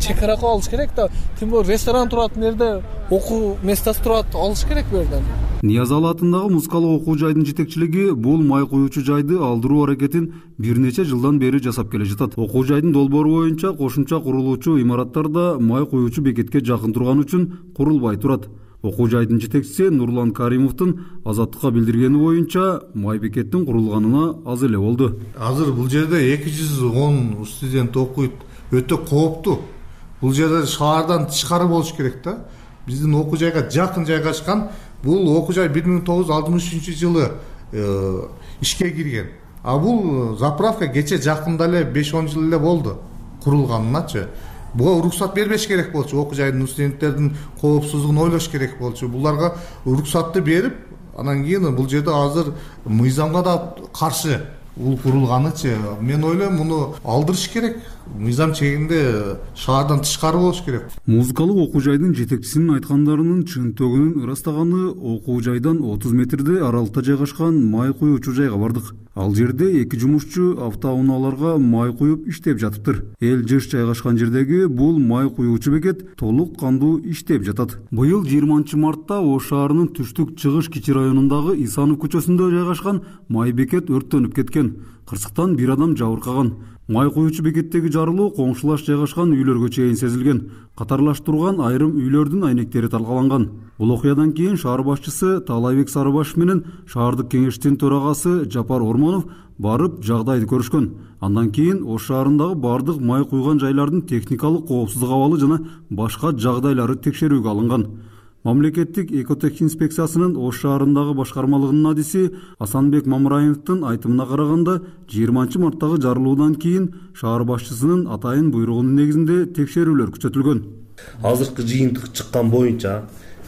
Чекаракы алыш керек да. Тим более ресторан турат жерде, окуу местасы турат, алыш керек бу жерден. Ниязал атындагы музыкалык окуу жайдын жетекчилиги бул май куюучу жайды алдыруу аракетин бир нече жылдан бери жасап келе жатат. Окуу жайдын долбоору боюнча кошумча курулуучу имараттарда май куюучу бекетке жакын турган үчүн курулбай турат. Окуу жайдын жетекчиси Нурлан Каримовдун Азаттыкка билдиргени боюнча май бекеттин курулганына аз эле болду. Азыр бул жерде 210 студент окуйт. Өтө кооптуу. Бул жерде шаардан тышкары болуш керек да. Биздин окуу жайга жакын жайгашкан. Бул окуу жай 1963 жылы ишке кирген. А бул заправка кече жакында эле 5-10 жыл эле болду курулганыначы. Буга уруксат бербеш керек болчу. Окуу жайдын студенттердин коопсуздугун ойлош керек болчу. Буларга уруксатты берип, анан кийин бул жерде азыр мыйзамга да каршы бул курулганычы. Мен ойлойм, муну алдырыш керек. Мыйзам чегинде шаардан тышкары болуш керек. Музыкалык окуу жайдын жетекчисинин айткандарынын чынтөгүнүн ырастаганы окуу жайдан 30 метрде аралыкта жайгашкан май куюучу жайга бардык. Ал жерде 2 жумушчу автоунааларга май куюп иштеп жатыптыр. Эл жыш жайгашкан жердеги бул май куюучу бекет толук кандуу иштеп жатат. Быйыл 20 мартта Ош шаарынын түштүк чыгыш кичи районундагы Исанов көчөсүндө жайгашкан май бекет өрттөнүп кеткен. Кырсыктан 1 адам жабыркаган. Май куюучу бекеттеги жарылуу коңшулаш жайгашкан үйлөргө чейин сезилген. Катарлаш турган айрым үйлөрдүн айнектери талкаланган. Бул окуядан кийин шаар башчысы Таалайбек Сарыбашев менен шаардык кеңештин төрагасы Жапар Ормонов барып жагдайды көрүшкөн. Андан кийин Ош шаарындагы бардык май куйган жайлардын техникалык коопсуздук абалы жана башка жагдайлары текшерүүгө алынган. Мамлекеттик экотех инспекциясынын Ош шаарындагы башкармалыгынын адиси Асанбек Мамраевдин айтымына караганда 20 марттагы жарылуудан кийин шаар башчысынын атайын буйругунун негизинде текшерүүлөр күчөтүлгөн. Азыркы жыйынтык чыккан боюнча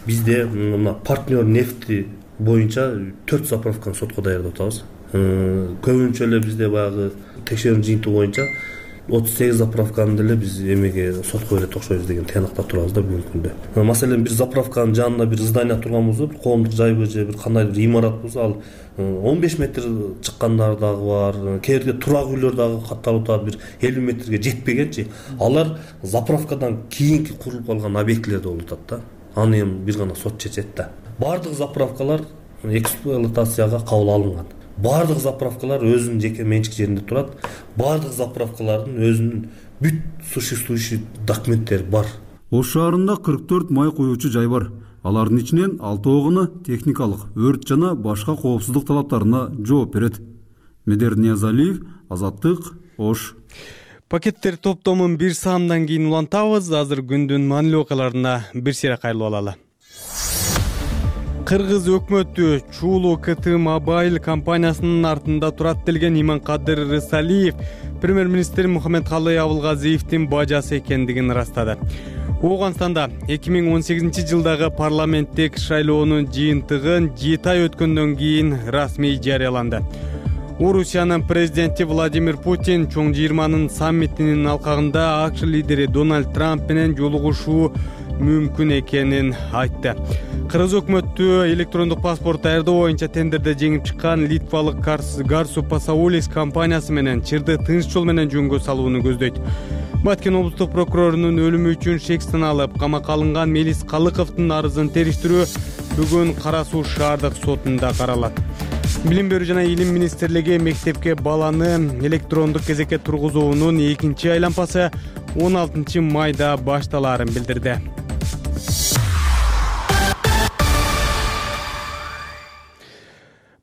бизде мына партнер нефти боюнча 4 заправканы сотко даярдап атабыз. Көбүнчө эле бизде баягы текшерүү жыйынтыгы боюнча 38 заправканы деле биз эмеге сотко бере токшойбуз деген тыянакта турабыз да бүгүнкү күндө. Маселен бир заправканын жанында бир здание турганбызбы, бир коомдук жайбы же бир кандайдыр имарат болсо ал 15 метр чыккандар дагы бар, кээ бирде турак үйлөр дагы катталып атат, бир 50 метрге жетпегенчи. Алар заправкадан кийинки курулуп калган объектилерде болуп атат да. Аны эми бир гана сот чечет да. Бардык заправкалар эксплуатацияга кабыл алынган. Бардык заправкалар өзүнүн жеке менчик жеринде турат. Бардык заправкалардын өзүнүн бүт существующий документтери бар. Ош шаарында 44 май куюучу жай бар. Алардын ичинен 6 техникалык, өрт жана башка коопсуздук талаптарына жооп берет. Медер Ниязалиев, Азаттык, Ош. Пакеттер топтомун 1 саамдан кийин улантабыз. Азыр күндүн маанилүү окуяларына бир сыйра кайрылып алалы. Кыргыз өкмөтү Чуулу КТ Мобайл компаниясынын артында турат делген Иманкадыр Рысалиев премьер-министр Мухаммедкалый Абылгазиевдин бажасы экендигин ырастады. Ооганстанда 2018 жылдагы парламенттик шайлоонун жыйынтыгын 7 ай өткөндөн кийин расмий жарыяланды. Орусиянын президенти Владимир Путин чоң 20-нын саммитинин алкагында АКШ лидери Дональд Трамп менен жолугушуу мүмкүн экенин айтты. Кыргыз өкмөтү электрондук паспорт даярдоо боюнча тендерде жеңип чыккан литвалык Гарсу Пасаулис компаниясы менен чырды тынч жол менен жөнгө салууну көздөйт. Баткен облустук прокурорунун өлүмү үчүн шектен алып камакка алынган Мелис Калыковдун арызын териштирүү бүгүн Кара Суу шаардык сотунда каралат. Билим берүү жана илим министрлиги мектепке баланы электрондук кезекке тургузуунун 2-чи айлампасы 16 майда башталаарын билдирди.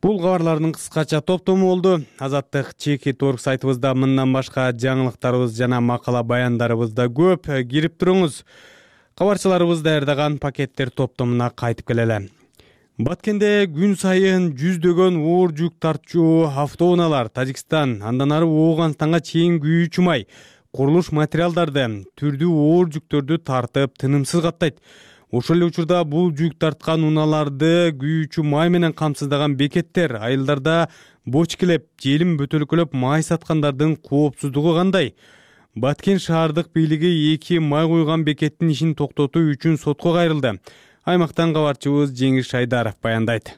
Бул кабарлардын кыскача топтому болду. Азаттык Чеки.org сайтыбызда мындан башка жаңылыктарыбыз жана макала баяндарыбыз да көп. Кирип туруңуз. Кабарчыларыбыз даярдаган пакеттер топтомуна кайтып келели. Баткенде күн сайын жүздөгөн оор жүк тартчу автоунаалар Тажикстан, андан ары Ооганстанга чейин күйүүчү май, курулуш материалдарды, түрдүү оор жүктөрдү тартып тынымсыз каттайт. Ошол эле учурда бул жүк тарткан унааларды күйүүчү май менен камсыздаган бекеттер айылдарда бочкелеп, желим бөтөлкөлөп май саткандардын коопсуздугу кандай? Баткен шаардык бийлиги 2 май куйган бекеттин ишин токтотуу үчүн сотко кайрылды. Аймактан кабарчыбыз Жеңиш Шайдаров баяндайт.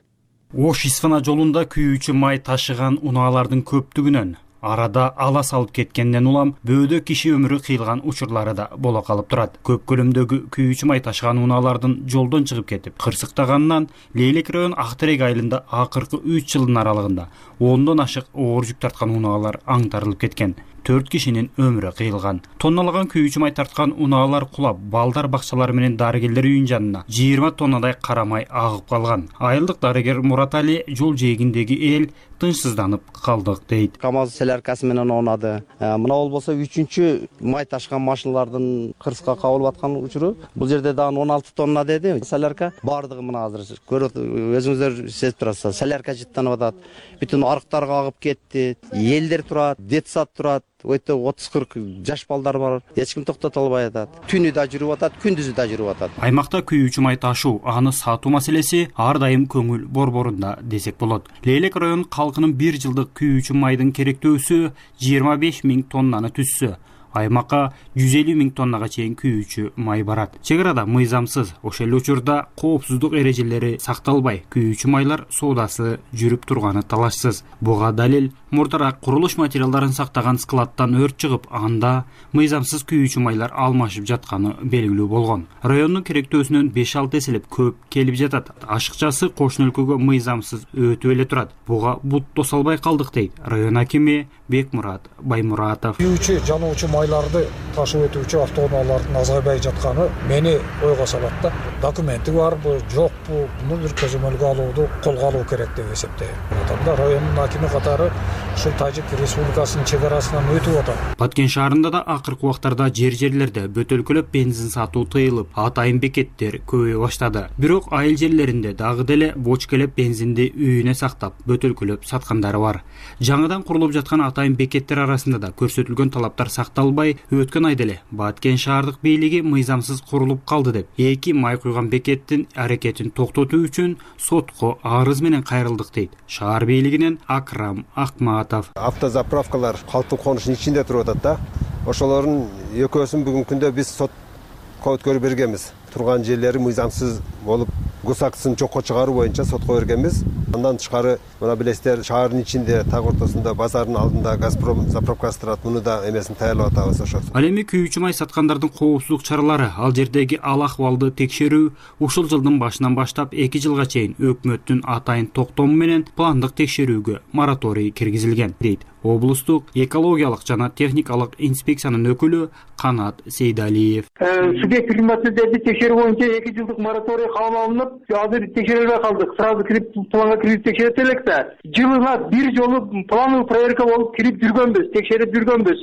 Ош-Исфана жолунда күйүүчү май ташыган унаалардын көптүгүнөн арада ала салып кеткенден улам бөөдө киши өмүрү кыйылган учурлары да боло калып турат. Көп көлөмдөгү күйүүчү май ташыган унаалардын жолдон чыгып кетип, кырсыктаганынан Лейлек район Актерек айылында акыркы 3 жылдын аралыгында 10дон ашык оор жүк тарткан унаалар аңтарылып кеткен. 4 кишинин өмүрү кыйылган. Тонналаган күйүүчү май тарткан унаалар кулап, балдар бакчалары менен дарыгерлер үйүнүн жанына 20 тоннадай кара май агып калган. Айылдык дарыгер Мурат Али жол жээгиндеги эл тынчсызданып калдык дейт. КамАЗ соляркасы менен оонады. Мына болбосо 3-чү май ташкан машиналардын кырсыкка кабылып аткан учуру. Бул жерде дагы 16 тонна деди. Солярка бардыгы мына азыр көрөт, өзүңүздөр сезип турасыздар. Солярка жыттанып атат. Бүтүн арыктарга агып кетти. Элдер турат, детсад турат. Өтө 30-40 жаш балдар бар. Эч ким токтото албай атат. Түнү да жүрүп атат, күндүзү да жүрүп атат. Аймакта күйүүчү май ташуу, аны сатуу маселеси ар дайым көңүл борборунда десек болот. Лейлек район калкынын 1 жылдык күйүүчү майдын керектөөсү 25 000 тоннаны түзсө, аймакка 150 000 тоннага чейин күйүүчү май барат. Чек арада мыйзамсыз, ошол эле учурда коопсуздук эрежелери сакталбай күйүүчү майлар соодасы жүрүп турганы талашсыз. Буга далил мурдараак курулуш материалдарын сактаган складтан өрт чыгып, анда мыйзамсыз күйүүчү майлар алмашып жатканы белгилүү болгон. Райондун керектөөсүнөн 5-6 эселеп көп келип жатат. Ашыкчасы кошуна өлкөгө мыйзамсыз өтүп эле турат. Буга бут тосолбой калдык дейт район акими Бекмурат Баймуратов. Күйүүчү, жануучу майларды ташып өтүүчү автоунаалардын азайбай жатканы мени ойго салат да. Документи барбы, жокпу, муну бир көзөмөлгө алууду колго алуу керек деп эсептейм. Анда райондун акими катары ушул Тажик Республикасынын чек арасынан өтүп атат. Баткен шаарында да акыркы убактарда жерлерде бөтөлкөлөп бензин сатуу тыйылып, атайын бекеттер көбөйө баштады. Бирок айыл жерлеринде дагы деле бочкелеп бензинди үйүнө сактап, бөтөлкөлөп саткандары бар. Жаңыдан курулуп жаткан атайын бекеттер арасында да көрсөтүлгөн талаптар сакталбай, өткөн айда эле Баткен шаардык бийлиги мыйзамсыз курулуп калды деп, 2 май куйган бекеттин аракетин токтотуу үчүн сотко арыз менен кайрылдык дейт шаар бийлигинен Акрам Акматов. Автозаправкалар калктын конушунун ичинде туруп атат да. Ошолордун экөөсүн бүгүнкү күндө биз сотко өткөрүп бергенбиз. Турган жерлери мыйзамсыз болуп, гусактысын жокко чыгаруу боюнча сотко бергенбиз. Андан тышкары, мына билесиздер, шаардын ичинде, так ортосунда, базардын алдында Газпром заправкасы турат. Муну да эмесин даярдап атабыз ошо. Ал эми күйүүчү май саткандардын коопсуздук чаралары, ал жердеги ал акыбалды текшерүү ушул жылдын башынан баштап 2 жылга чейин өкмөттүн атайын токтому менен пландык текшерүүгө мораторий киргизилген, дейт облустук экологиялык жана техникалык инспекциянын өкүлү Канат Сейдалиев. Субъект климаттерди текшерүү боюнча 2 жылдык мораторий кабыл алынып, азыр текшерилбей калдык. Сразу кирип планга кирип текшерет элек да. Жылына бир жолу плановый проверка болуп кирип жүргөнбүз, текшерип жүргөнбүз.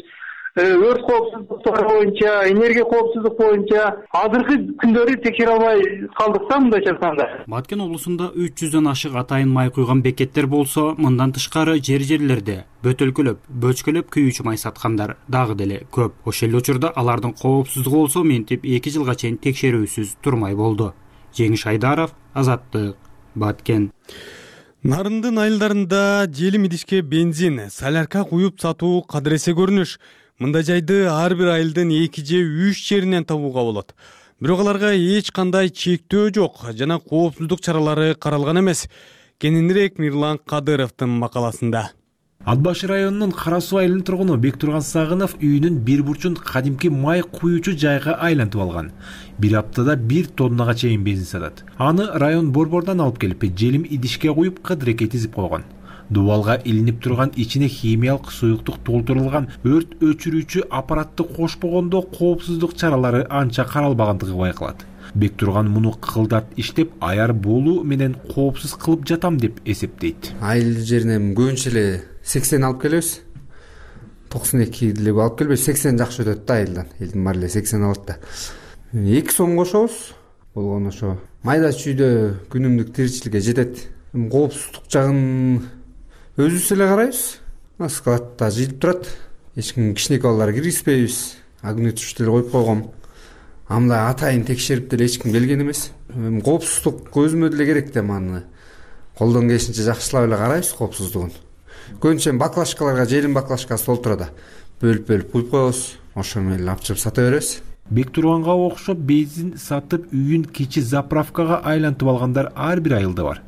Өрт коопсуздуктары боюнча, энергия коопсуздук боюнча азыркы күндөрү текшере албай калдык да мындайча айтканда. Баткен облусунда 300дөн ашык атайын май куйган бекеттер болсо, мындан тышкары жерлерде бөтөлкөлөп, бөчкөлөп күйүүчү май саткандар дагы деле көп. Ошол эле учурда алардын коопсуздугу болсо мынтип 2 жылга чейин текшерүүсүз турмай болду. Жеңиш Айдаров, Азаттык, Баткен. Нарындын айылдарында желим идишке бензин, солярка куюп сатуу кадыресе көрүнүш. Мындай жайды ар бир айылдын 2 же 3 жеринен табууга болот. Бирок аларга эч кандай чектөө жок жана коопсуздук чаралары каралган эмес. Кененирээк Мирлан Кадыровдун макаласында. Ат башы районунун Кара Суу айылынын тургуну Бектурган Сагынов үйүнүн бир бурчун кадимки май куюучу жайга айлантып алган. Бир аптада 1 тоннага чейин бензин сатат. Аны район борбордон алып келип, желим идишке куюп, кыдыреке тизип койгон. Дубалга илинип турган ичине химиялык суюктук толтурулган өрт өчүрүүчү аппаратты кошпогондо коопсуздук чаралары анча каралбагандыгы байкалат. Бектурган муну кылдат иштеп, аяр болуу менен коопсуз кылып жатам деп эсептейт. Айыл жеринен көбүнчө эле 80 алып келебиз. 92 деле алып келбейбиз, 80 жакшы өтөт да айылдан. Элдин баары эле 80 алат да. 2 сом кошобуз. Болгону ошо майда чүйдө күнүмдүк тиричиликке жетет. Коопсуздук жагын өзүбүз эле карайбыз. Складта жыйылып турат. Эч ким кичинекей балдар киргизбейбиз. Огнетушь деле коюп койгом. Амда атайын текшерип деле эч ким келген эмес. Коопсуздук өзүмө деле керек да, аны колдон келишинче жакшылап эле карайбыз коопсуздугун. Көбүнчө баклашкаларга желим баклашкасы толтурат. Бөлүп куюп коебуз. Ошо менен алып чыгып сата беребиз. Бектурганга окшоп бензин сатып үйүн кичи заправкага айлантып алгандар ар бир айылда бар.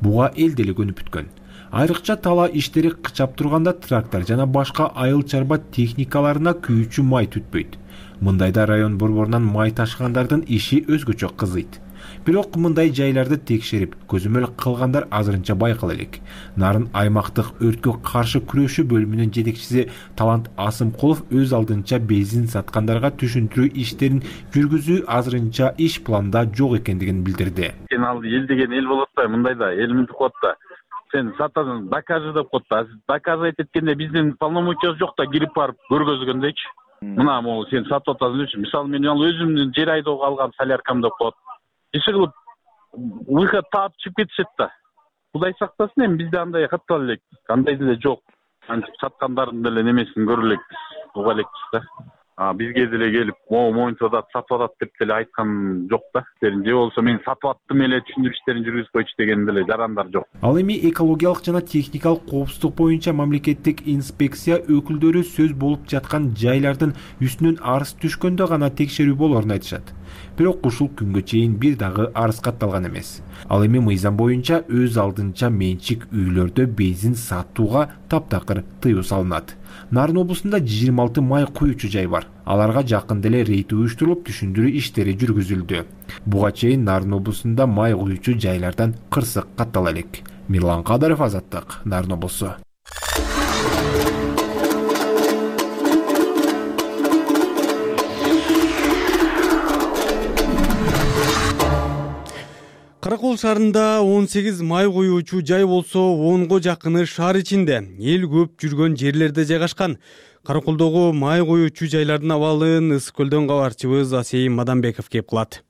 Буга эл деле көнүп бүткөн. Айрыкча тала иштери кычап турганда трактор жана башка айыл чарба техникаларына күйүүчү май түтпөйт. Мындайда район борборунан май ташыгандардын иши өзгөчө кызыйт. Бирок мындай жайларды текшерип, көзөмөл кылгандар азырынча байкала элек. Нарын аймактык өрткө каршы күрөшүү бөлүмүнүн жетекчиси Талант Асымкулов өз алдынча бензин саткандарга түшүндүрүү иштерин жүргүзүү азырынча иш планда жок экендигин билдирди. Ал эл деген эл болот да, мындайда эл мынтип коет да. Сен сатасың, докажи деп коет да. Доказать эткенде биздин полномочиябыз жок да, кирип барып көргөзгөндөйчү. Мына могу сен сатып атасың үчүн. Мисалы мен ал өзүмдүн жер айдоого алган соляркам деп коет. Иши кылып выход таап чыгып кетишет да. Кудай сактасын, эми бизде андай каттала элек. Андай деле жок. Антип саткандардын деле немесин көрө элекпиз, уга элекпиз да. бизге деле келип могу моюнча сатып атат деп деле айткан жок да. Же болбосо мен сатып аттым эле түшүндүрүш иштерин жүргүзүп койчу деген деле жарандар жок. Ал эми экологиялык жана техникалык коопсуздук боюнча мамлекеттик инспекция өкүлдөрү сөз болуп жаткан жайлардын үстүнөн арыз түшкөндө гана текшерүү болоорун айтышат. Бирок ушул күнгө чейин бир дагы арыз катталган эмес. Ал эми мыйзам боюнча өз алдынча менчик үйлөрдө бензин сатууга таптакыр тыюу салынат. Нарын облусунда 26 май куючу жай бар. Аларга жакын деле рейд уюштурулуп түшүндүрүү иштери жүргүзүлдү. Буга чейин Нарын облусунда май куючу жайлардан кырсык каттала элек. Мирлан Кадаров, Азаттык, Нарын облусу. Каракол шаарында 18 май куюучу жай болсо 10го жакыны шаар ичинде, эл көп жүргөн жерлерде жайгашкан. Караколдогу май куюучу жайлардын абалын Ысык көлдөн кабарчыбыз Асей Маданбеков кеп кылат.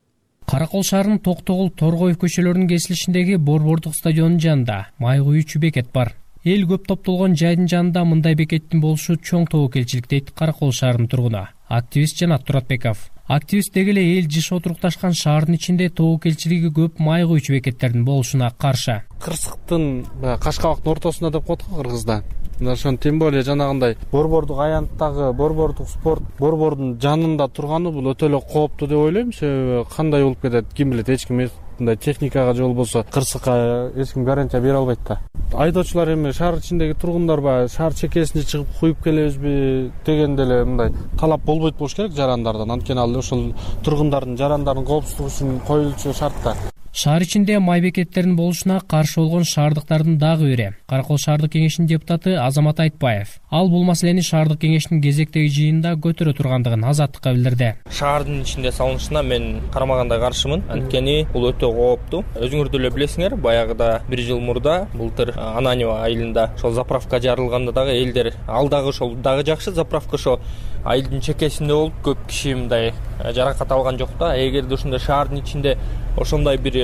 Каракол шаарынын Токтогул, Торгоев көчөлөрүнүн кесилишиндеги Борбордук стадионунун жанында май куюучу бекет бар. Эл көп топтолгон жайдын жанында мындай бекеттин болушу чоң тобокелчилик дейт Каракол шаарынын тургуну, активист Жанат Туратбеков. Активист деги эле эл жышы отурукташкан шаардын ичинде тобокелчилиги көп май куючу бекеттердин болушуна каршы. Кырсыктын Кашкабактын ортосунда деп коет го кыргызда. Мына ошон тем более жанагындай Борбордук аянттагы Борбордук спорт борбордун жанында турганы бул өтө эле кооптуу деп ойлойм. Себеби кандай болуп кетет, ким билет, эч ким мындай техникага же болбосо кырсыкка эч ким гарантия бере албайт да. Айдоочулар эми шаар ичиндеги тургундар баягы шаар чекесине чыгып куюп келебизби деген деле мындай талап болбойт болуш керек жарандардан. Анткени ал ошол тургундардын жарандардын коопсуздугу үчүн коюлчу шарт да. Шаар ичинде май бекеттеринин болушуна каршы болгон шаардыктардын дагы бири Каракол шаардык кеңешинин депутаты Азамат Айтбаев. Ал бул маселени шаардык кеңештин кезектеги жыйынында көтөрө тургандыгын Азаттыкка билдирди. Шаардын ичинде салынышына мен карамагандай каршымын. Анткени бул өтө кооптуу. Өзүңөр деле билесиңер, баягыда 1 жыл мурда былтыр Ананева айылында ошол заправка жарылганда дагы элдер ал дагы ошол дагы жакшы заправка ошо айылдын чекесинде болуп көп киши мындай жаракат алган жок да. Эгерде ушундай шаардын ичинде ошондой бир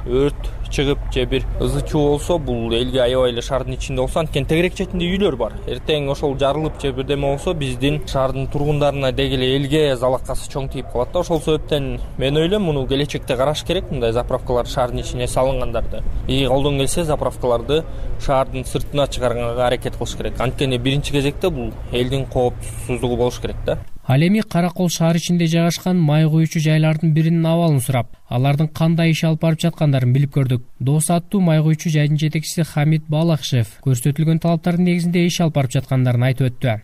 өрт чыгып же бир ызы чуу болсо, бул элге аябай эле шаардын ичинде болсо, анткени тегерек четинде үйлөр бар. Эртең ошол жарылып же бирдеме болсо, биздин шаардын тургундарына деги эле элге залакасы чоң тийип калат да. Ошол себептен мен ойлойм, муну келечекте караш керек, мындай заправкалар шаардын ичине салынгандарды. Колдон келсе заправкаларды шаардын сыртына чыгарганга аракет кылыш керек. Анткени биринчи кезекте бул элдин коопсуздугу болуш керек да. Ал эми Каракол шаар ичинде жайгашкан май куючу жайлардын биринин абалын сурап, алардын кандай иш алып барып жаткандарын билип көрдүк. Дос аттуу май куючу жайдын жетекчиси Хамид Балакшев көрсөтүлгөн талаптардын негизинде иш алып барып жаткандарын айтып өттү.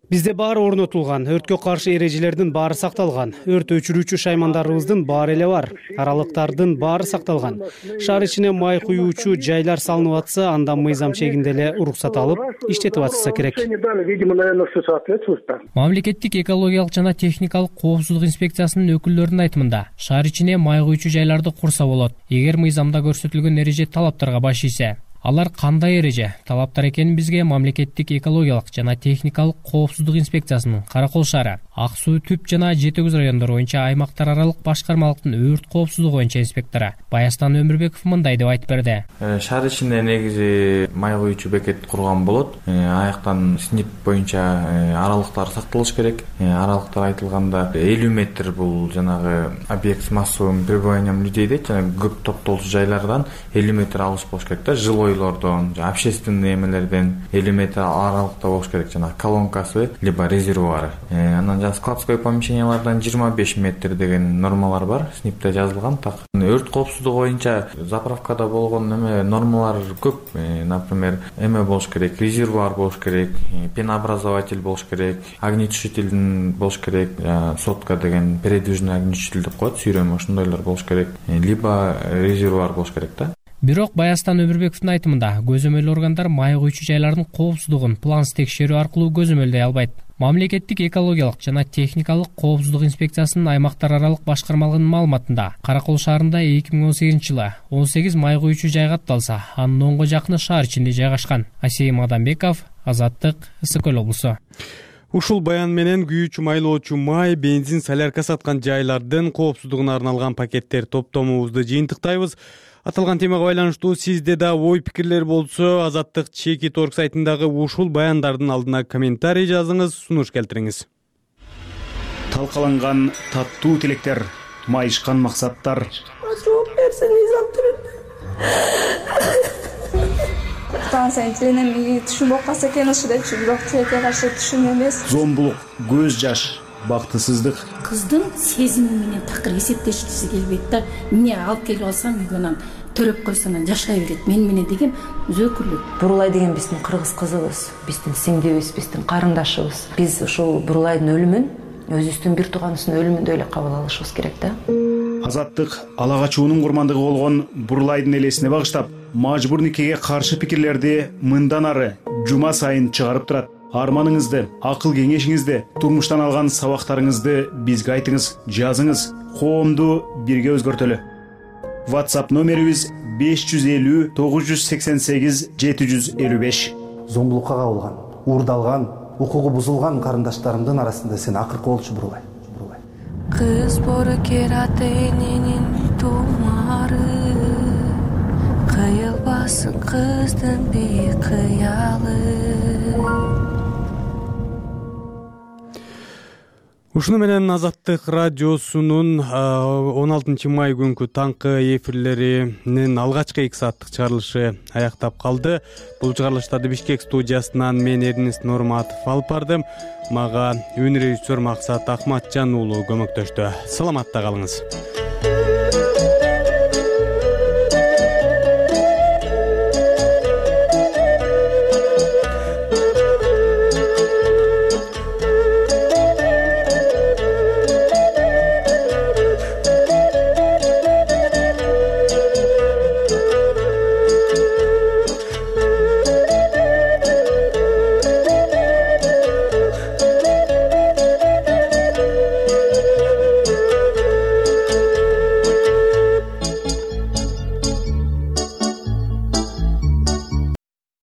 Бизде баары орнотулган, өрткө каршы эрежелердин баары сакталган, өрт өчүрүүчү шаймандарыбыздын баары эле бар, аралыктардын баары сакталган. Шаар ичине май куюучу жайлар салынып атса, андан мыйзам чегинде эле уруксат алып, иштетип атышса керек. Мамлекеттик экологиялык жана техникалык коопсуздук инспекциясынын өкүлдөрүнүн айтымында, шаар ичине май куючу жайларды курса болот, эгер мыйзамда көрсөтүлгөн эреже талаптарга баш ийсе. Алар кандай эреже, талаптар экенин бизге мамлекеттик экологиялык жана техникалык коопсуздук инспекциясынын Каракол шаары, Ак суу, Түп жана Жети Көз райондору боюнча аймактар аралык башкармалыктын өрт коопсуздугу боюнча инспектору Баястан Өмүрбеков мындай деп айтып берди. Шаар ичинде негизи май куючу бекет курган болот. Аяктан СНИП боюнча аралыктар сакталыш керек. Аралыктар айтылганда 50 метр бул жанагы объект с массовым пребыванием людей дейт, жана көп топтолчу жайлардан 50 метр алыс болуш керек да. Жилойлордон, общественный эмелерден 50 метр аралыкта болуш керек, жана колонкасы либо резервуары. Анан складской помещениялардан 25 метр деген нормалар бар, СНИПте жазылган. Так өрт коопсуздугу боюнча заправкада болгон эме нормалар көп. Например, эме болуш керек, резервуар болуш керек, пенообразователь болуш керек, огнетушителдин болуш керек, сотка деген передвижный огнетушитель деп коет, сүйрөмө ошондойлор болуш керек, либо резервуар болуш керек да. Бирок Баястан Өмүрбековдун айтымында, көзөмөл органдар май куючу жайлардын коопсуздугун плансыз текшерүү аркылуу көзөмөлдөй албайт. Мамлекеттик экологиялык жана техникалык коопсуздук инспекциясынын аймактар аралык башкармалыгынын маалыматында, Каракол шаарында 2018-жылы 18 май куючу жай катталса, анын 10го жакыны шаар ичинде жайгашкан. Асей Маданбеков, Азаттык, Ысык көл облусу. Ушул баян менен күйүүчү майлоочу май, бензин, солярка саткан жайлардын коопсуздугуна арналган пакеттер топтомубузду жыйынтыктайбыз. Аталган темага байланыштуу сизде да ой пикирлер болсо, Азаттык.org сайтындагы ушул баяндардын алдына комментарий жазыңыз, сунуш келтириңиз. Талкаланган таттуу тилектер, майышкан максаттар. Жооп берсин Низам Станция тиленем түшүм болуп калса экен ушул депчи, бирок тилекке каршы түшүм эмес. Зомбулук, көз жаш, бактысыздык. Кыздын сезими менен такыр эсептешкиси келбейт да. Эмне алып келип алсам үйгө анан төрөп койсо анан жашай берет. Мен менен деген өзөкүлүк. Бурулай деген биздин кыргыз кызыбыз, биздин сиңдибиз, биздин карындашыбыз. Биз ушул Бурулайдын өлүмүн өзүбүздүн бир тууганыбыздын өлүмүндөй эле кабыл алышыбыз керек да. Азаттык ала качуунун курмандыгы болгон Бурулайдын элесине багыштап, мажбур никеге каршы пикирлерди мындан ары жума сайын чыгарып турат. Арманыңызды, акыл кеңешиңизди, турмуштан алган сабактарыңызды бизге айтыңыз, жазыңыз. Коомду бирге өзгөртөлү. WhatsApp номерибиз 550 988 755. Зомбулукка кабылган, уурдалган, укугу бузулган карындаштарымдын арасында сен акыркы болчу Бурулай. Кыз бору керат эненин тумары, кыйылбасын кыздын бейкыялы. Ушуну менен Азаттык радиосунун 16 май күнкү таңкы эфирлеринин алгачкы 2 сааттык чыгарылышы аяктап калды. Бул чыгарылыштарды Бишкек студиясынан мен Эрнест Нурматов алып бардым. Мага үн режиссер Максат Акматжан уулу көмөктөштү. Саламатта калыңыз.